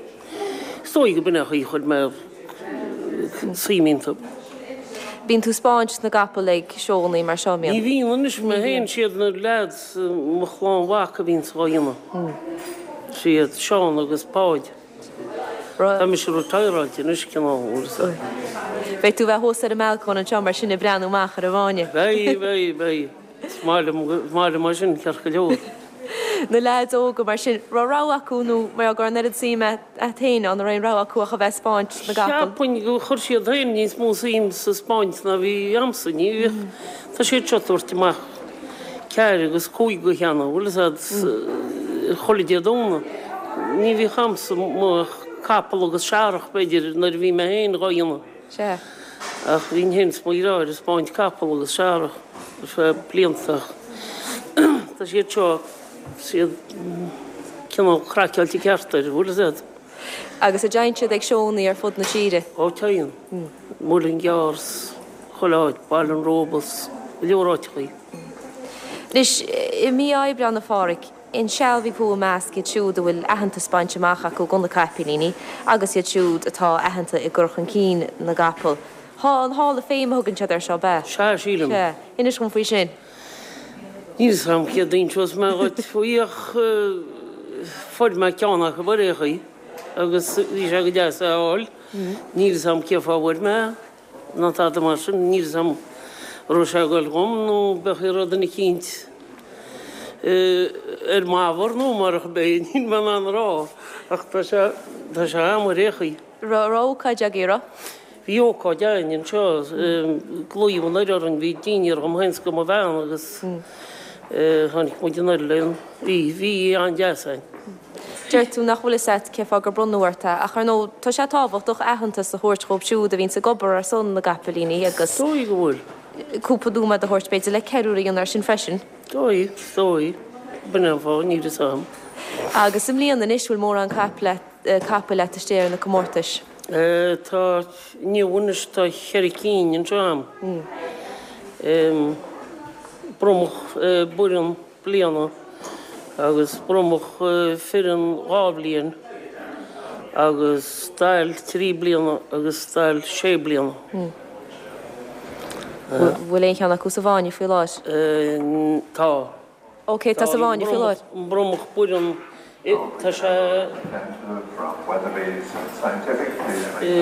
Is dóigh go b'in é an chaoi a chuir mé suim iontu. Bíonn tú ag 'spáint na gcapall ag seónnaí mar seo, an mbíonn? Ní bhíonn anois mé féin, siad na leaids, mo chlann mhac a bhíonns á dhéanamh. Siad Seán agus Páid. Tá mise retireáilte anois, cineál, bhfuil 'fhios a'd. Beidh tú a bheith thuas ar an mbalcóin anseo mar sin ag breathnú amach ar an bhfáinne. Beidh, beidh, beidh. Is maith liom, is maith liom é sin, ceart go leor. Na leaids óga mar sin, raibh rogha acu nó mar go raibh an oiread suim a't féin ann, an raibh aon rogha acu ach a bheith ag 'spáint na gcapall? Cheapfainn gur chuir siad féin níos mó suim sa 'spáint ná bhí a'msa. Ní bhíodh, tá siad seo ag tabhairt amach ceathair agus cúig cheana, bhfuil 'fhios a'd, chuile Dé Domhnaigh. Ní bhíodh a'msa ach capall agus searrach b'fhéidir nuair a bhí mé féin dhá dhéanamh. Sea. Ach bhínn féin is mo dheartháir ag 'spáint capall agus searrach ar feadh blianta ach tá siad seo, siad cineál craiceáilte ceart air, bhfuil 'fhios a'd. Agus an dtéann siad ag seónnaí ar fud na tíre? Ó téann. Muileann gCearr 's chuile áit, Baile an Róba 's go leor áiteachaí. Anois, i mí Aibreáin a Pháraic, Insealbhaigh thú i measc iad siúd a bhfuil aitheantas bainte amach acu do na caipilíní agus iad siúd atá aitheanta i gcur chun cinn na gcapall. Há, an Hall of Fame a thugann siad air seo, ab ea? Sea, sílim. Sea. Inis dhom faoi sin. Níl 'fhios a'm céard a inseos mé dhuit faoi ach fuair mé ceann acu ar aon chaoi agus bhí sé go deas é a fháil. Níl 'fhios a'm cé fáth a bhfuair mé é. Ná tada mar sin, níl 'fhios a'm an raibh sé ag goil dhom nó b'fhéidir go raibh duine eicínt ar m'fhabhar nó marach é, níl mé in ann a rá ach tá sé, tá sé a'm ar aon chaoi. Raibh ócáid agaibh, raibh? Bhí ócáid againn anseo, glaodh anoir orainn, bhí dinnéar dhom féin 's do mo bhean agus tháinig muid anoir le an, bhí, bhí an-deas againn. Deir tú nach bhfuil fhios a't cé fáth gur bronnadh ort é, ach ar ndóigh tá sé tábhachtach aitheantas a thabhairt dhóibh siúd a bhíonns ag obair ar son na gcapaillíní agus Is dóigh go bhfuil. cúpla nóiméad a thabhairt b'fhéidir le ceiliúradh a dhéanamh air sin freisin. Dóigh, is dóigh. B'in é an fáth, níl fhios a'm. Agus i mbliana anois, bhfuil mórán capaill a't istigh ar na comórtais? Tá, inniu anois tá cheithre cinn anseo a'm. Bromach baineann. bliana agus bromach fireann 2 bhliain agus stail 3 bliana agus stail 6 bliana. Bhfuil aon cheann acu sa bhfáinne faoi láthair? Tá. Ok, tá sa bhfáinne faoi láthair. An bromach baineann, tá sé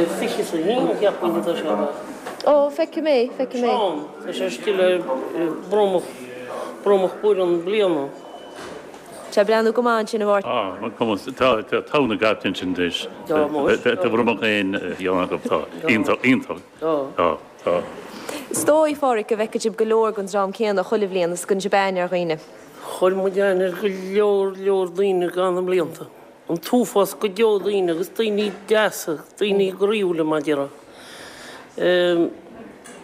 21 cheapfainn atá sé a bheith. Ó, feicim é, feicim é. Seán, tá sé istigh le bromach. Bromach baineann bliana. Tá ag breathnú go maith ansin a Mháirtín. Tá, cuma, tá, tá togha na gcaiple ansin anois. Tá, muis. Tá bromach aon cheann acu, tá. Iontach, iontach. Tá. Tá, tá. Is dóigh, a Pháraic, go bhfeiceann sibh go leor den dream céanna chuile bhliain is go gcuireann sibh aithne ar dhaoine. Chuir muid aithne ar go leor, leor daoine i gcaitheamh na mblianta. An t-uafás go deo daoine agus daoine deasa, daoine groíúla mar a déarfá.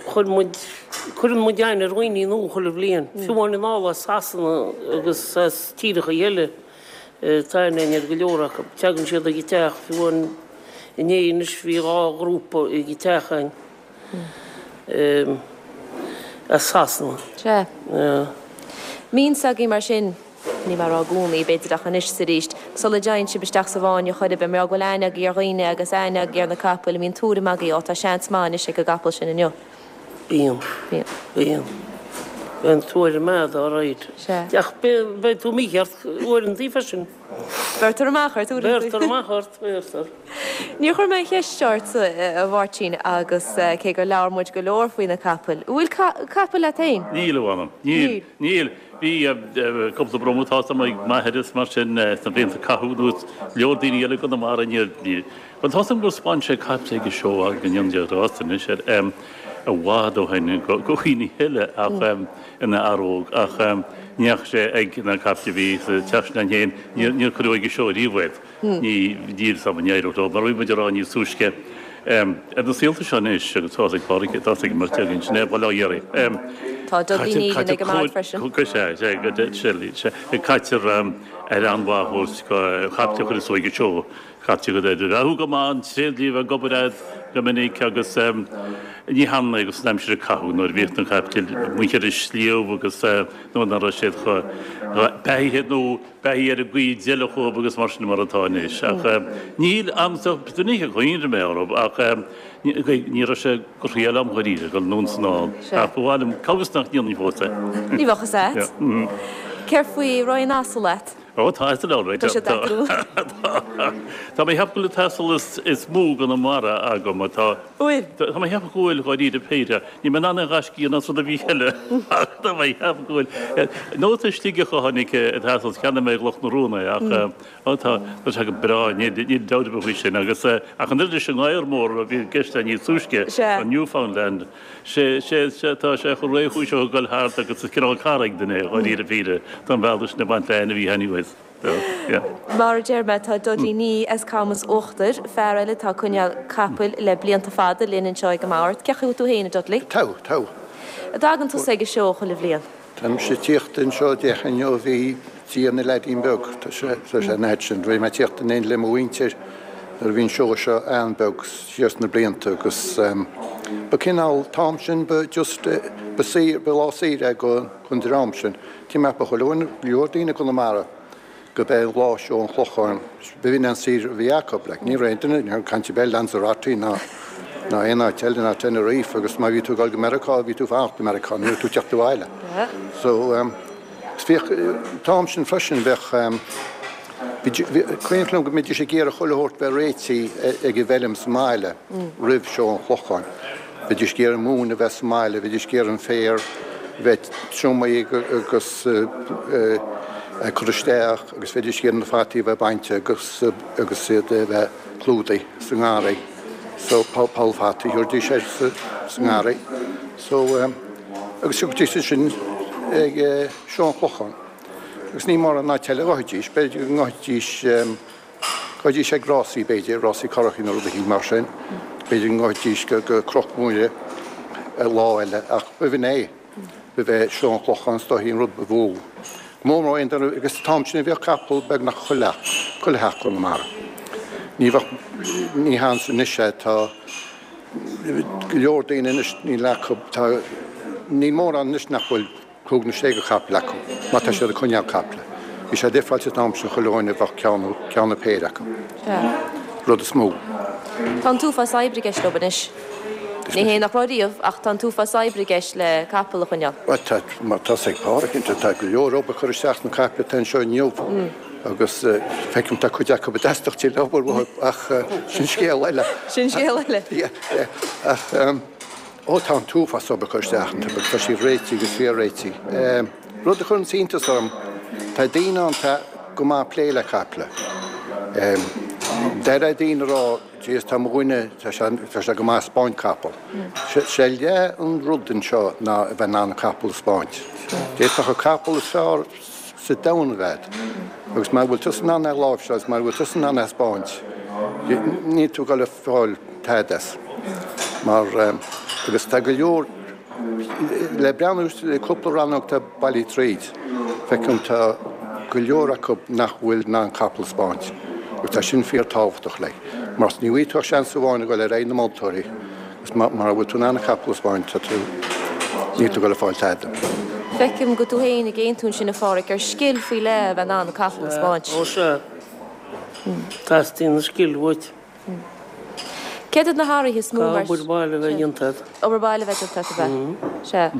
Chuir muid, cuireann muid aithne ar dhaoine nua chuile bhliain, fiú amháin anall as Sasana agus as tíreacha eile, tá aithne againn ar go leor acu. Tagann siad ag an teach, fiú amháin inné anois bhí 2 ghrúpa ag an teach againn as Sasana. Sea. Mbíonn a fhios agaibh mar sin. Níl mé ag rá i gcónaí, b'fhéidir, ach anois is arís, sula dtéann sibh isteach sa bhfáinne chor ar bith, mar go bhfuil aithne agaibh ar dhaoine agus aithne agaibh ar na capaill, an mbíonn tuairim agaibh, á, tá seans maith anois ag an gcapall sin inniu. Bíonn. Bíonn. Bíonn. Bíonn tuairim a'd, alright. Sea. Ach beidh tú mícheart uaireantaí freisin. Beirtear amach ort uaireantaí. Beirtear amach ort, beirtear. Níor chuir mé an cheist seo ortsa, a Mháirtín, agus cé gur labhair muid go leor faoi na capaill, an bhfuil capall leat féin? Níl, a mh'anam. Níl. Níl. Bhí cúpla bromach tá a fhios a'm ag m'athair is mar sin sna blianta a caitheadh anuas, leor daoine eile i gConamara níor, níor, bhuel tá a fhios a'm gur 'spáin sé caiple ag an seó ag an Ionad Rás anois ar i bhfad ó shin go dhaoine eile ach ina fhear óg ach ní dheachaigh sé ag na caiple a bhí sa teach sin againn féin, níor, níor cuireadh ag an seó riamh iad. Ní, níl 'fhios a'm an éireodh leo, mar a bhí muid a rá níos túisce, ar na saolta seo anois, agus tá's ag Pádraig, tá's ag Máirtín againn, sin é Baile Átha Iarraidh. Tá Dudley Nealon ag an mbord freisin. Sea, sea, sea, caitear aire an-mhaith a thabhairt do chaiple a chuireas ag an seó, caitear go bheathú go maith, an tréidlia a bheith ag obair a'd go minic agus ní hionann é agus an aimsir a caitheadh nuair a bhíodh na caiple amuigh ar an sliabh agus nuair nach raibh siad chomh beathaithe nó beathaithe ar an gcaoi a d'fheilfeadh dhóibh agus mar sin mar atá anois. Ach níl a'msa, ní hé gur chuimhnigh mé orthu ach ní raibh sé go thriail a'm dháiríre dul anonn 's anall. Ach ba mhaith liom, cá bhfios nach ndéanfainn fós é. Ní bheadh fhios a'd. Céard faoi, raibh aon asal a't? Ó tá asal ann, right. Tá sé deacair. Tá mé ag ceapadh go bhfuil an t-asal is mó i gConamara agam atá. Bhfuil? Tá mé ag ceapadh go bhfuil, dháiríre péire. Níl mé in ann aon ghaisce a dhéanamh as rud ar bith eile ach tá mé ag ceapadh go bhfuil. Nóta Sligeach a tháinig an t-asal, cheannaigh mé i gCloch na Rón é ach ó tá, tá sé go breá, níl dabht ar bith faoi sin. Agus ach an oiread leis an ngadhar mór a bhí i gceist níos túisce, an Newfoundland, sé, sé, sé, tá sé chomh réchúiseach ag dul thart agus is cineál cara ag duine é, dháiríre péire, tá an bealach sin ag baint le ainmhithe anyways. Mar a deir mé, tá Dudley Nee as Camas Uachtair, fear eile atá ag coinneáil capaill le blianta fada, linn anseo ag an mbord. Cén chaoi a bhfuil tú féin, a Dudley? Tá, tá. An dtagann tusa ag an seó chuile bhliain? Táimse ag tíocht anseo déarfainn ó bhí Dia ina leaidín beag, tá sé, tá sé an fhad sin. Bhí mé ag tíocht in éindí le mo mhuintir nuair a bhí an seó seo an-bheag siar sna blianta agus ba cineál, t-am sin ba just, ba saoire, ba lá saoire é go, don dream sin. Tá mé ag ceapadh go leor daoine i gConamara go b'é lá seó an Chlocháin, b'in an saoire a bhí acu. Like, ní raibh aon duine, ní raibh caint ar bith Lanzarote ná ná aon áit eile ná Tenerife agus má bhí tú ag dul go Meiriceá bhí tú ag fanacht i Meiriceá, ní raibh tú ag teacht abhaile. So, um, bhíodh, an t-am sin freisin bheadh, um, Cuimhin liom go mbídís ag iarraidh chuile shórt bheith réitithe ag an bhfeilm sa mbaile roimh seó an Chlocháin. Bhídís ag iarraidh an mhóin a bheith sa mbaile, bhídís ag iarraidh an féar a bheith triomaithe agus curtha isteach agus bhídís ag iarraidh na fataí a bheith bainte agus agus iad a bheith clúdaithe sa ngarraí. So poll fataí a thabharfaidís air sa ngarraí. So agus thiocfaidís ansin ag seó an Chlocháin. Agus ní mórán áit eile a ghabhfaidís, b'fhéidir go ngabhfaidís, ghabhfaidís ag rásaí b'fhéidir, rásaí currachaí nó rud eicínt mar sin, b'fhéidir go ngabhfaidís go, go Cnoc Mhuire lá eile ach b'in é, b'é seó an Chlocháin is dóichí an rud ba mhó. Go mór mór aon duine, agus an t-am sin bheadh capall beagnach chuile, chuile theach i gConamara. Ní bheadh, ní hionann anois é, tá go leor daoine anois níl acu, tá, níl mórán anois nach bhfuil 5 nó 6 de chaiple acu, má tá siad ag coinneáil caiple. Bhí sé difreáilte an t-am sin chuile dhuine a bheadh ceann nó ceann nó péire acu. Rud is mó. Tá an t-uafás oibre i gceist leo anois. Ní hé nach raibh riamh, ach tá an t-uafás oibre i gceist le capall a choinneáil. Bhuel, tá, mar tá 's ag Pádraig, tá go leor obair curtha isteach sna caiple atá anseo inniu agus feicim tá cuid acu ag teastáil tuilleadh obair uathu ach sin scéal eile. Sin scéal eile. Yeah, yeah. Ach. Ó tá an t-uafás obair curtha isteach iontu agus tá siad réitithe agus fíor-réitithe. Rud a chuireann iontas orm, tá daoine ann, tá. go maith plé le caiple. Deir daoine a rá, Jeez, tá mo dhuine, tá sé, tá sé go maith ag 'spáint capall. Sé leath an rud anseo ná a bheith in ann an capall a 'spáint. D'fhéadfadh an capall is fearr sa domhan a bheith agat agus mara bhfuil tusa in ann é a láimhseáil agus mara bhfuil tusa in ann é a 'spáint, níl tú ag dul a fáil tada as. Mar, agus tá go leor, Le breathnú ar cúpla rannóg atá bailithe tríd, feicim tá go leor acu nach bhfuil in ann capall a 'spáint agus tá sin fíor tábhachtach like mar ní bhfaighidh tú ach seans amháin a dhul ar aghaidh na moltóirí agus mara bhfuil tú in ann an capall a 'spáint tá tú níl tú ag dul a fáil tada. Feicim go tú féin ag aontú ansin a Pháraic gur scil faoi leith a bheith in ann capall a 'spáint. Ó sea. Teastaíonn an scil uait. Céard iad na hathruithe is mó mar. Obair baile a bheith déanta agat. Obair baile a bheith déanta agat, ab ea? Sea.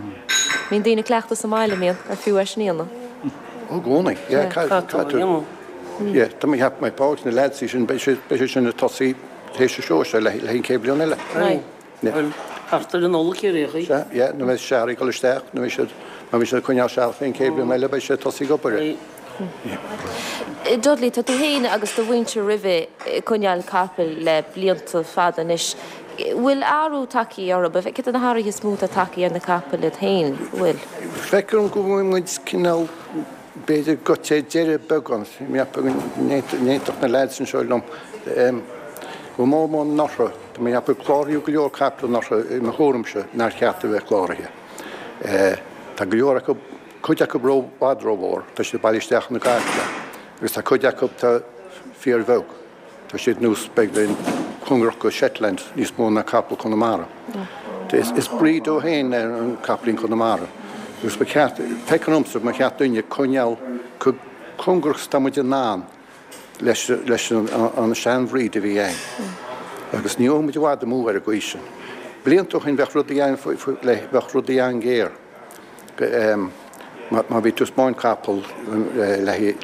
Mbíonn daoine ag cleachtadh sa mbaile, mbíonn, ar fiú é sin a dhéanamh? Ó, i gcónaí. Yeah, caithfidh tú. Yeah, tá mé ag ceapadh mbeidh Pádraig na leaids sin, beidh siad sin ag tosaí théis an seó seo le haghaidh an chéad bhliain eile. Bhuel, thart ar an Nollaig ar aon chaoi. Sea, yeah, nuair a bheidh searraigh ag dul isteach, nuair a bheidh siad, má bhíonn siad ag coinneáil searrach fén chéad bhliain eile, beidh siad ag tosaí ag obair air. Dudley, tá tú féin agus do mhuintir roimhe ag coinneáil capaill le blianta fada anois. Bhfuil athrú tagtha orthu? Céard iad na hathruithe is mó atá tagtha ar na capaill iad féin? Bhfuil? Feictear dom go bhfuil muid cineál b'fhéidir goite ar deireadh beagán, go n-aontódh na leaids anseo liom, go mór mór anuraidh, tá mé ag ceapadh cláraíodh go leor caiple anuraidh i mo thuairimse nár cheart a bheith cláraithe. Tá go leor acu, cuid acu ró, i bhfad rómhór, tá siad ag bailiú isteach ina gcaiple agus tá cuid acu atá fíorbheag. Tá siad nós beagáinín cóngarach go Shetland níos mó ná capall Conamara. Is breed dó féin é an capaillín Conamara agus ba cheart, feictear domsa, ba cheart dúinne coinneáil chomh cóngarach is atá muid in ann leis leis an seanbhreed a bhí againn. Agus ní raibh muid i bhfad amú ar an gcaoi sin. Blianta ó shin bheadh rudaí bheadh rudaí an-ghéar. Má bhí tú ag 'spáint capall le haghaidh,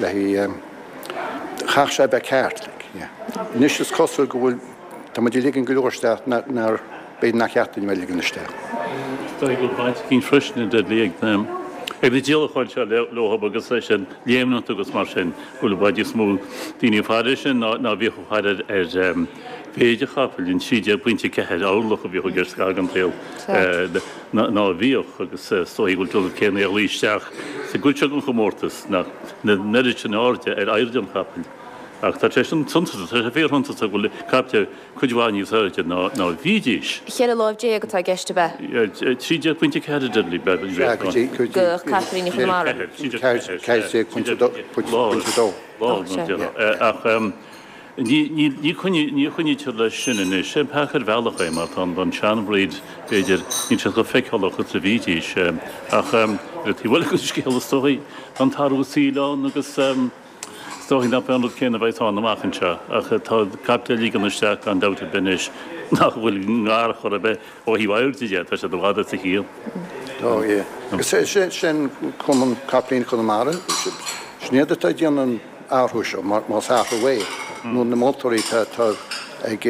chaithfeadh sé a bheith ceart. Anois is cosúil go bhfuil, tá muid ag ligean go leor isteach nár, b'fhéidir nár cheart dúinn a bheith ag ligean isteach. Is dóigh go bhfuil baint eicínt freisin a Dudley ag na díolacháin seo leo agus leis an léimneacht agus mar sin, go bhfuil i bhfad níos mó daoine ag faire air sin ná a bhíodh ag faire ar mhéid an chapaill, an 13.4 orlach a bhíodh i gceist ag an tsaol. ná a bhíodh agus is dóigh go bhfuil an céanna ag luí isteach sa gcuid seo den chomórtas nach an oiread sin airde ar airde an chapaill. Ach tá sé sin suntasach, tá sé fíorshuntasach go bhfuil caiple cuid mhaith níos airde ná a bhídís. 14 láimh atá i gceist ab ea? 13.4 a Dudley, Do chapaillíní Chonamara. 14.2. Ach Ní choinnítear leis sin anois. Sé an peaca ar bhealach é mar tá an seanbhreed, b'fhéidir, níl siad chomh feiceálach is a bhídís. Ach ar an taobh eile den scéal is dóigh, tá an t-athrú saoil ann agus is dóigh nach mbeidh an rud céanna a bheidh ann amach anseo. Ach tá caiple á ligean isteach gan dabht ar bith anois nach bhfuil i ngar chor ar bith ó thaobh airde de, tá siad i bhfad as a chiall. Ó yeah. Agus sin Cumann Capaillíní Chonamara, sin iad atá ag déanamh an athrú seo, más athrú é, nó na moltóirí atá ag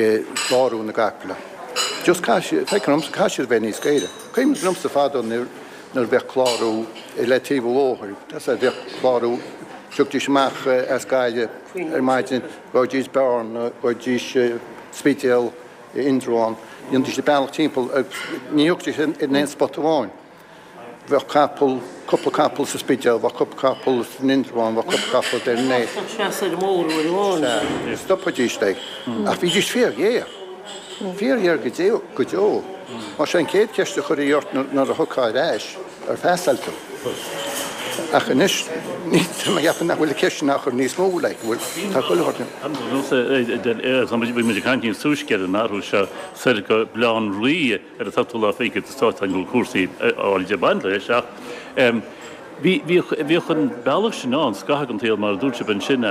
clárú na gcaiple. Just caithfidh siad, feictear domsa, caithfidh siad a bheith níos géire. Cuimhin liomsa fadó nuair a bheadh clárú le taobh an bhóthair, bheadh clárú, thiocfaidís amach as Gaillimh ar maidin, ghabhaidís Bearna, ghabhaidís Spidéal, Indreabhán, dhéanfaidís an bealach timpeall, ní thiocfaidís in aon spot amháin. Bheadh capall, cúpla capall sa Spidéal, bheadh cúpla capall san Indreabhán, bheadh cúpla capall ar an Bheadh seas ar an mbóthar uair amháin. Sea, stopaidís é. Ach bhídís fíorghéar. Fíorghéar go deo, go deo. Mar sé an chéad cheist a chuirfí ort nuair a thiocfá ar ais, ar phasáil tú. Ach anois, tá mé ag ceapadh nach bhfuil an cheist sin á chur níos mó, like, bhfuil, tá chuile shórt. Bhí muid ag caint níos túisce ar an athrú seo soir go Baile Átha an Rí ar an tseachtú lá fichead is tá go bhfuil cúrsaí áirid ag baint leis ach bhíodh an bealach sin ann scaitheamh den tsaol mar a dúirt sibh ansin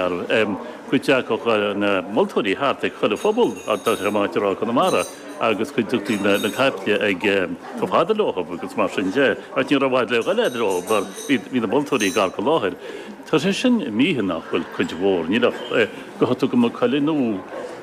go dteagadh na moltóirí thart ag chuile phobal tá sé maith a rá Conamara agus go dtugtaí na caiple ag chomh fada leo agus mar sin de ach ní raibh i bhfad le dhul leo mar bhí na moltóirí gar go láthair. Tá sé sin imithe nach bhfuil cuid mhór níl ach go thug tú go Maigh Cuilinn nó.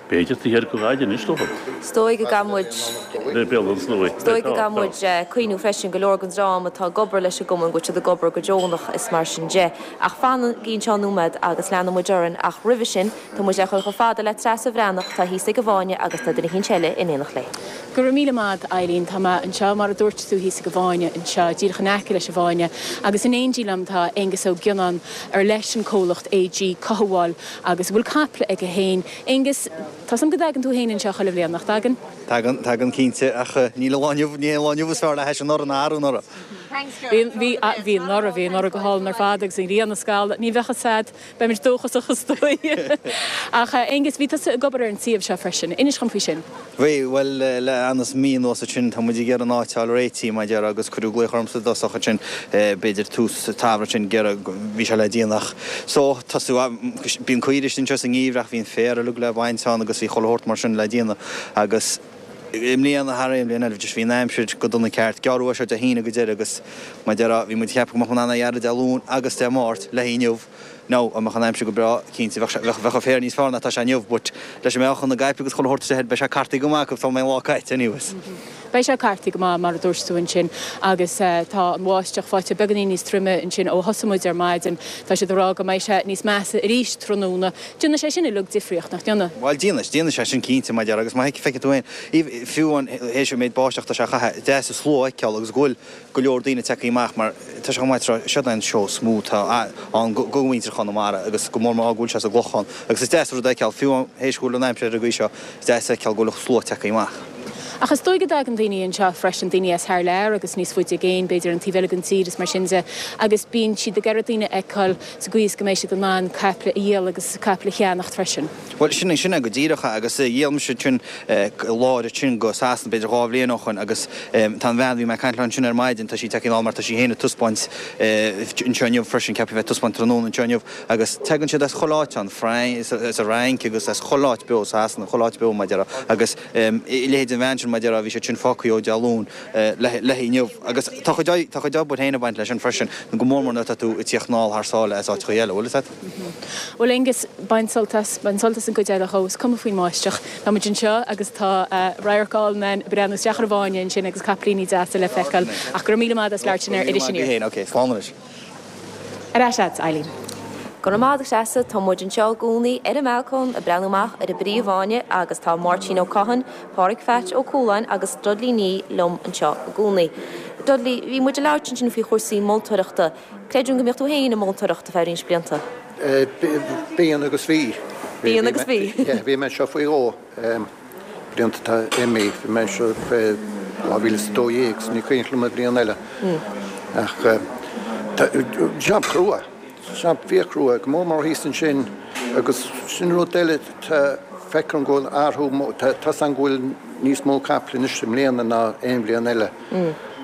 B'fhéidir taobh thiar go ghaid anois dóibh. Is dóigh go gcaithfidh muid. Le béal an tslua. Is dóigh go gcaithfidh muid cuimhniú freisin go leor den dream atá ag obair leis an gcumann go bhfuil siad ag obair go deonach is mar sin de. Ach fanaigí anseo nóiméad agus leanfaidh muid orainn ach roimhe sin tá muid le dhul chomh fada le Treasa Bhreathnach atá thíos ag an bhFáinne agus tá duine eicínt eile in éineacht léi. Go raibh míle maith a't, Eileen. Tá mé anseo, mar a dúirt tú, thíos ag an bhFáinne anseo, díreach in aice leis an bhFáinne, agus in éindí liom tá Aengus Ó Gionnáin, ar leis an comhlacht AG Cothabháil agus a bhfuil caiple aige féin. Aengus, tá's a'm go dtagann tú féin anseo chuile bhliain, nach dtagann? Tagann, tagann cinnte, ach níl an lá inniu, ní hé an lá inniu is fearr le hais anuraidh ná arú anuraidh. Bhí, bhí, bhí anuraidh, bhí anuraidh go hálainn ar fad agus an ghrian ag scalladh, ní bheadh fhios a'd. Beimid dóchasach is dóigh. Ach a Aengus, bhí tusa ag obair ar an suíomh seo freisin. Inis dhom faoi sin. Bhí, bhuel, le anuas mí anuas ansin, tá muid ag iarraidh an áit a fháil réitithe, mar a déarfá, agus cuireadh glaoch ormsa i dtosach ansin, b'fhéidir tús an tsamhraidh ansin, ag iarraidh, bhí sé le déanamh ach, so, tosú, bíonn caoirigh istigh anseo sa ngeimhreadh ach bhí an féar uilig le baint ann agus bhí chuile shórt mar sin le déanamh agus, i mbliana thar aon bhliain eile, just bhí an aimsir go dona ceart. Gearradh é seo Dé hAoine go deireadh agus mar a déarfá, bhí muid ag ceapadh go mbeadh muid in ann é a ghearradh Dé Luain agus Dé Máirt le inniu. Now, dá mbeadh an aimsir go breá, cinnte, bheadh sé, bheadh, bheadh an féar níos fearr ná atá sé inniu but leis an mbeochan na gcaiple agus chuile shórt istigh air, beidh sé cartaithe go maith acu sula mbeidh an lá caite anyways. Beidh sé cartaithe go maith, mar a dúirt tú ansin, agus tá an bháisteach faighte beagáinín níos troime ansin ó thosaigh muid ar maidin. Tá siad ag rá go mbeidh sé níos measa arís tráthnóna. Déanfaidh sé sin uilig difríocht, nach ndéanfaidh? Bhuel, déanfaidh, déanfaidh sé sin cinnte, mar a déarfá, agus má fheiceann tú féin, fiú amháin théis an méid báisteach atá sé a chaitheamh, deas an slua a fheiceáil agus go bhfuil go leor daoine tagtha amach mar tá sé chomh maith tráth, seo é an seó is mó atá ann go mhuintir Chonamara agus go mór mór go bhfuil sé sa gClochán agus is deas an rud a fheiceáil, fiú amháin théis go bhfuil an aimsir ar an gcaoi seo, is deas a fheiceáil go bhfuil an slua tagtha amach. Ach is dóigh go dtagann daoine anseo freisin, daoine as thar lear agus níos faide i gcéin, b'fhéidir an taobh eile den tír is mar sin de, agus bíonn siad ag iarraidh daoine a fheiceáil sa gcaoi is go mbeidh siad in ann caiple a dhíol agus caiple a cheannacht freisin. Bhuel, sin é, sin é go díreach é agus dhíol mise ansin láir ansin go Sasana b'fhéidir 2 bhliain ó shoin agus tá an bhean a bhí mé ag caint léi ansin ar maidin, tá sí tagtha anall mar tá sí féin ag taispeáint anseo inniu freisin, ceaptha a bheith ag taispeáint tráthnóna anseo inniu agus tagann siad as chuile áit ann, as an Fhrainc agus as chuile áit beo, Sasana, chuile áit beo mar a déarfá agus a leithéid den bhean sin mar a déarfá bhí siad sin fágtha ó Dé Luain le inniu agus tá chuid tá chuid obair féin ag baint leis sin freisin, go mór mór nuair atá tú ag tíocht anall thar sáile as áiteacha eile, bhfuil fhios a't? Bhuel Aengus, bain sult as, bain sult as an gcuid eile dhó, is cuma faoin mbáisteach. Tá muid anseo agus tá radharc álainn againn ag breathnú isteach ar an bhfáinne ansin agus caiplíní deasa le feiceáil. Ach go raibh míle maith agat as labhairt linn ar Iris Aniar. Ok, slán anois. Ar ais agat, Eileen. Go raibh maith agat, a Threasa. Tá muid anseo i gcónaí ar an mbalcóin ag breathnú amach ar an bpríomh-fháinne agus tá Máirtín Ó Cadhain, Pádraig Pheait Ó Cualáin agus Dudley Nee liom anseo i gcónaí. Dudley, bhí muid ag labhairt ansin faoi chúrsaí moltóireachta. Creidim go mbíodh tú féin ag moltóireacht ar feadh roinnt blianta. Bíonn agus bhí. Bíonn agus bhí. Bhí mé anseo faoi dhó. Blianta atá imithe. Bhí mé anseo fé 2012 so ní cuimhin liom an bhliain eile. Ach jab crua. Jab fíorchrua, go mór mór thíos ansin agus sin rud eile, tá, feicim go bhfuil athrú, tá 's agam go bhfuil níos mó caiple anois i mbliana ná aon bhliain eile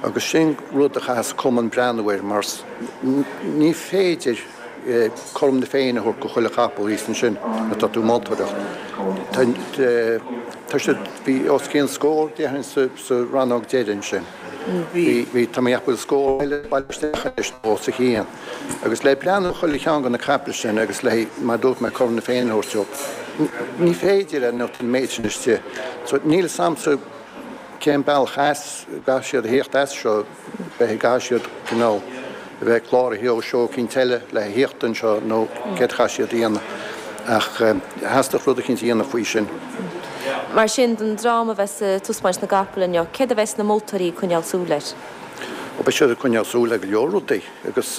agus sin rud a chaithfeas cumann breathnú air mar ní féidir cothrom na Féinne a thabhairt go chuile chapall thíos ansin nuair atá tú ag moltóireacht. Tá siad, bhí os cionn scór déarfainn sa rannóg deiridh ansin. Bhí, tá mé ag ceapadh go bhfuil scór eile bailithe isteach anois nó os a chionn. Agus le breathnú ar chuile cheann de na caiple sin agus le, mar a dúirt mé, cothrom na Féinne a thabhairt dóibh, ní féidir é nuair atá an méid sin istigh. So níl 'fhios a'msa cén bealach as a gcaithfidh siad a thíocht as seo, b'fhéidir go gcaithfidh siad cineál a bheith cláraithe ó seó eicínt eile le a thíocht anseo nó céard a chaithfidh siad a dhéanamh. Ach theastódh rud eicínt a dhéanamh faoi sin. Mar sin, don dream a bheas ag taispeáint na gcapall inniu, céard a bheas na moltóirí ag coinneáil súil air? Ó, beidh siad ag coinneáil súil ar go leor rudaí agus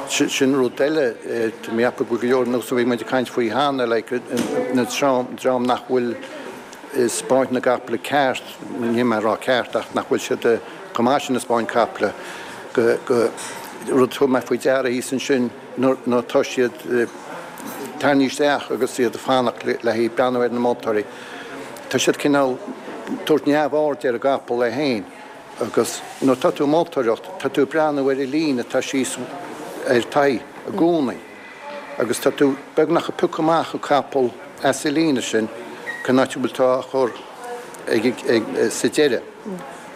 sin rud eile, tá mé ag ceapadh go bhfuil go leor, nós a bhí muid ag caint faoi cheana, like, na dream nach bhfuil ag 'spáint na gcaiple ceart, níl mé ag rá ceart ach nach bhfuil siad chomh maith sin ag 'spáint caiple, go, go, rud a thug mé faoi deara thíos ansin nuair atá siad tarraingthe isteach agus iad ag fanacht le haghaidh breathnú ar na moltóirí, tá siad cineál tabhairt neamhaird ar an gcapall é féin. Agus nuair atá tú ag moltóireacht, tá tú ag breathnú ar an líne atá síos ar t'aghaidh i gcónaí agus tá tú beagnach ag piocadh amach an capall as an líne sin cén áit a bhfuil tú á chur ag, ag, sa deireadh.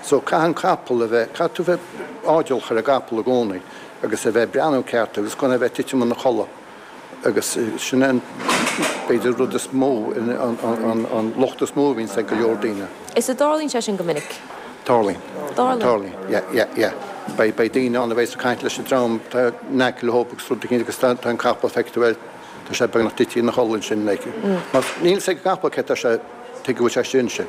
So caithfidh an capall a bheith, caithfidh tú bheith airdeallach ar an gcapall i gcónaí agus a bheith ag breathnú ceart agus gan é a bheith ag titim ina chodladh. Agus sin é an, b'fhéidir, rud is mó, an locht is mó a bhíonns ag go leor daoine. Is a dtarlaíonn sé sin go minic? Tarlaíonn. Tarlaíonn. Tarlaíonn, yeah, yeah, yeah. Beidh, beidh daoine ann a bheas ag caint leis an dream atá in aice leo agus rud eicínt agus tá, tá an capall, feicfidh tú é, tá sé beagnach tite ina chodladh ansin like. Mar níl fhios ag an gcapall cé tá sé, tuige go bhfuil sé istigh ansin.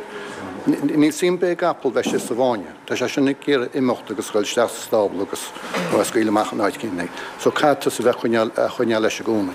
Níl suim ar bith ag an gcapall bheith istigh sa bhfáinne. Tá sé sin ag iarraidh imeacht agus dhul isteach sa stábla agus nó é a scaoileadh amach in áit eicínt é. So caithfidh tusa bheith coinneáil, a choinneáil leis i gcónaí.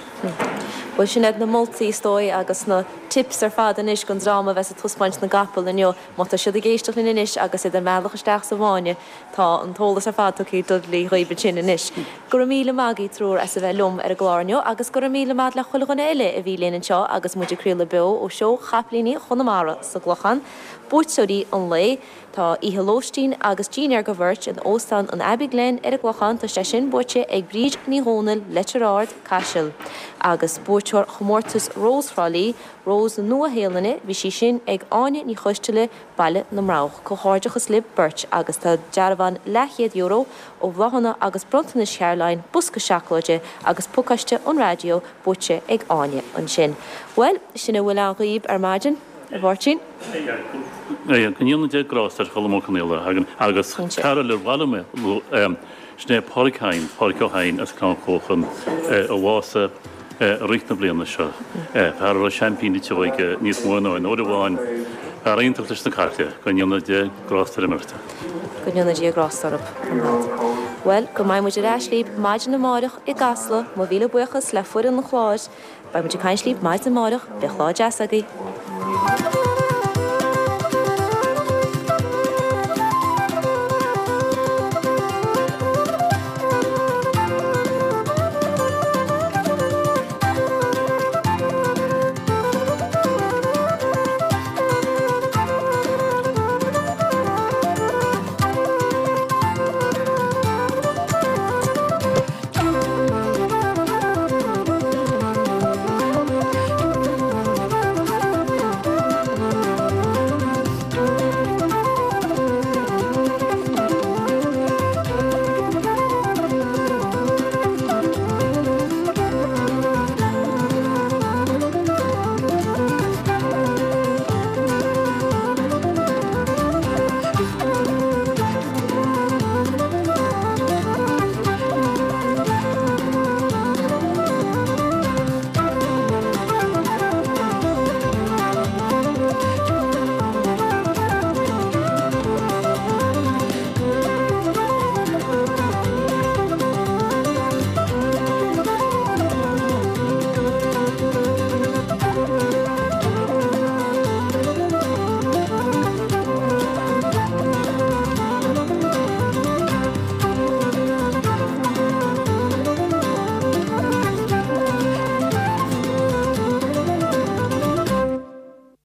Bhuel sin iad na moltaí is dóigh agus na tips ar fad anois don dream a bheas ag taispeáint na gcapall inniu. Má tá siad ag éisteacht linn anois agus iad ar a mbealach isteach sa bhfáinne, tá an t-eolas ar fad tugtha ag Dudley dhaoibh ansin anois. Go raibh míle maith agaibh triúr as a bheith liom ar an gclár inniu agus go raibh míle maith le chuile dhuine eile a bhí linn anseo agus muid ag craoladh beo ó Seó Chapaillíní Chonamara sa gClochán. Buaiteoirí an lae, Tá oíche lóistín agus dinnéar do bheirt in Óstán an Abbey Glen ar an gClochán, tá sé sin buaite ag Bríd Ní Dhomhnaill, Leitir Ard, Caiseal. Agus buaiteoir chomórtas Rós Thrá Lí, Rós na Nua-Shéalainne, bhí sí sin ag Áine Ní Choisteala, Baile na mBroghach. Comhghairdeachas libh beirt agus tá dearbhán leathchéad euro ó Bhláthanna agus Bronntanais Charoline, bosca seacláide agus pacáiste an raidió buaite ag Áine ansin. Bhuel, sin a bhfuil ann dhaoib ar maidin, a Mháirtín. Go ndéana Dia grásta ar Cholm Ó Conaola agus cara le bhaile mé, sin é Pádraig Hynes, Pádraig Ó hEidhin as Gleann Chóchan, a bhásaigh i rith na bliana seo. Fear a raibh seaimpín na teo aige níos mó ná aon uair amháin. Fear iontach leis na caiple. Go ndéana Dia grásta ar a mbeirt. Go ndéana Dia grásta orthu ar fad. Bhuel, go mbeidh muid ar ais libh maidin amáireach i gCasla. Mo mhíle buíochas le foireann an chláir. Beidh muid ag caint libh maidin amáireach. Bíodh lá deas agaibh.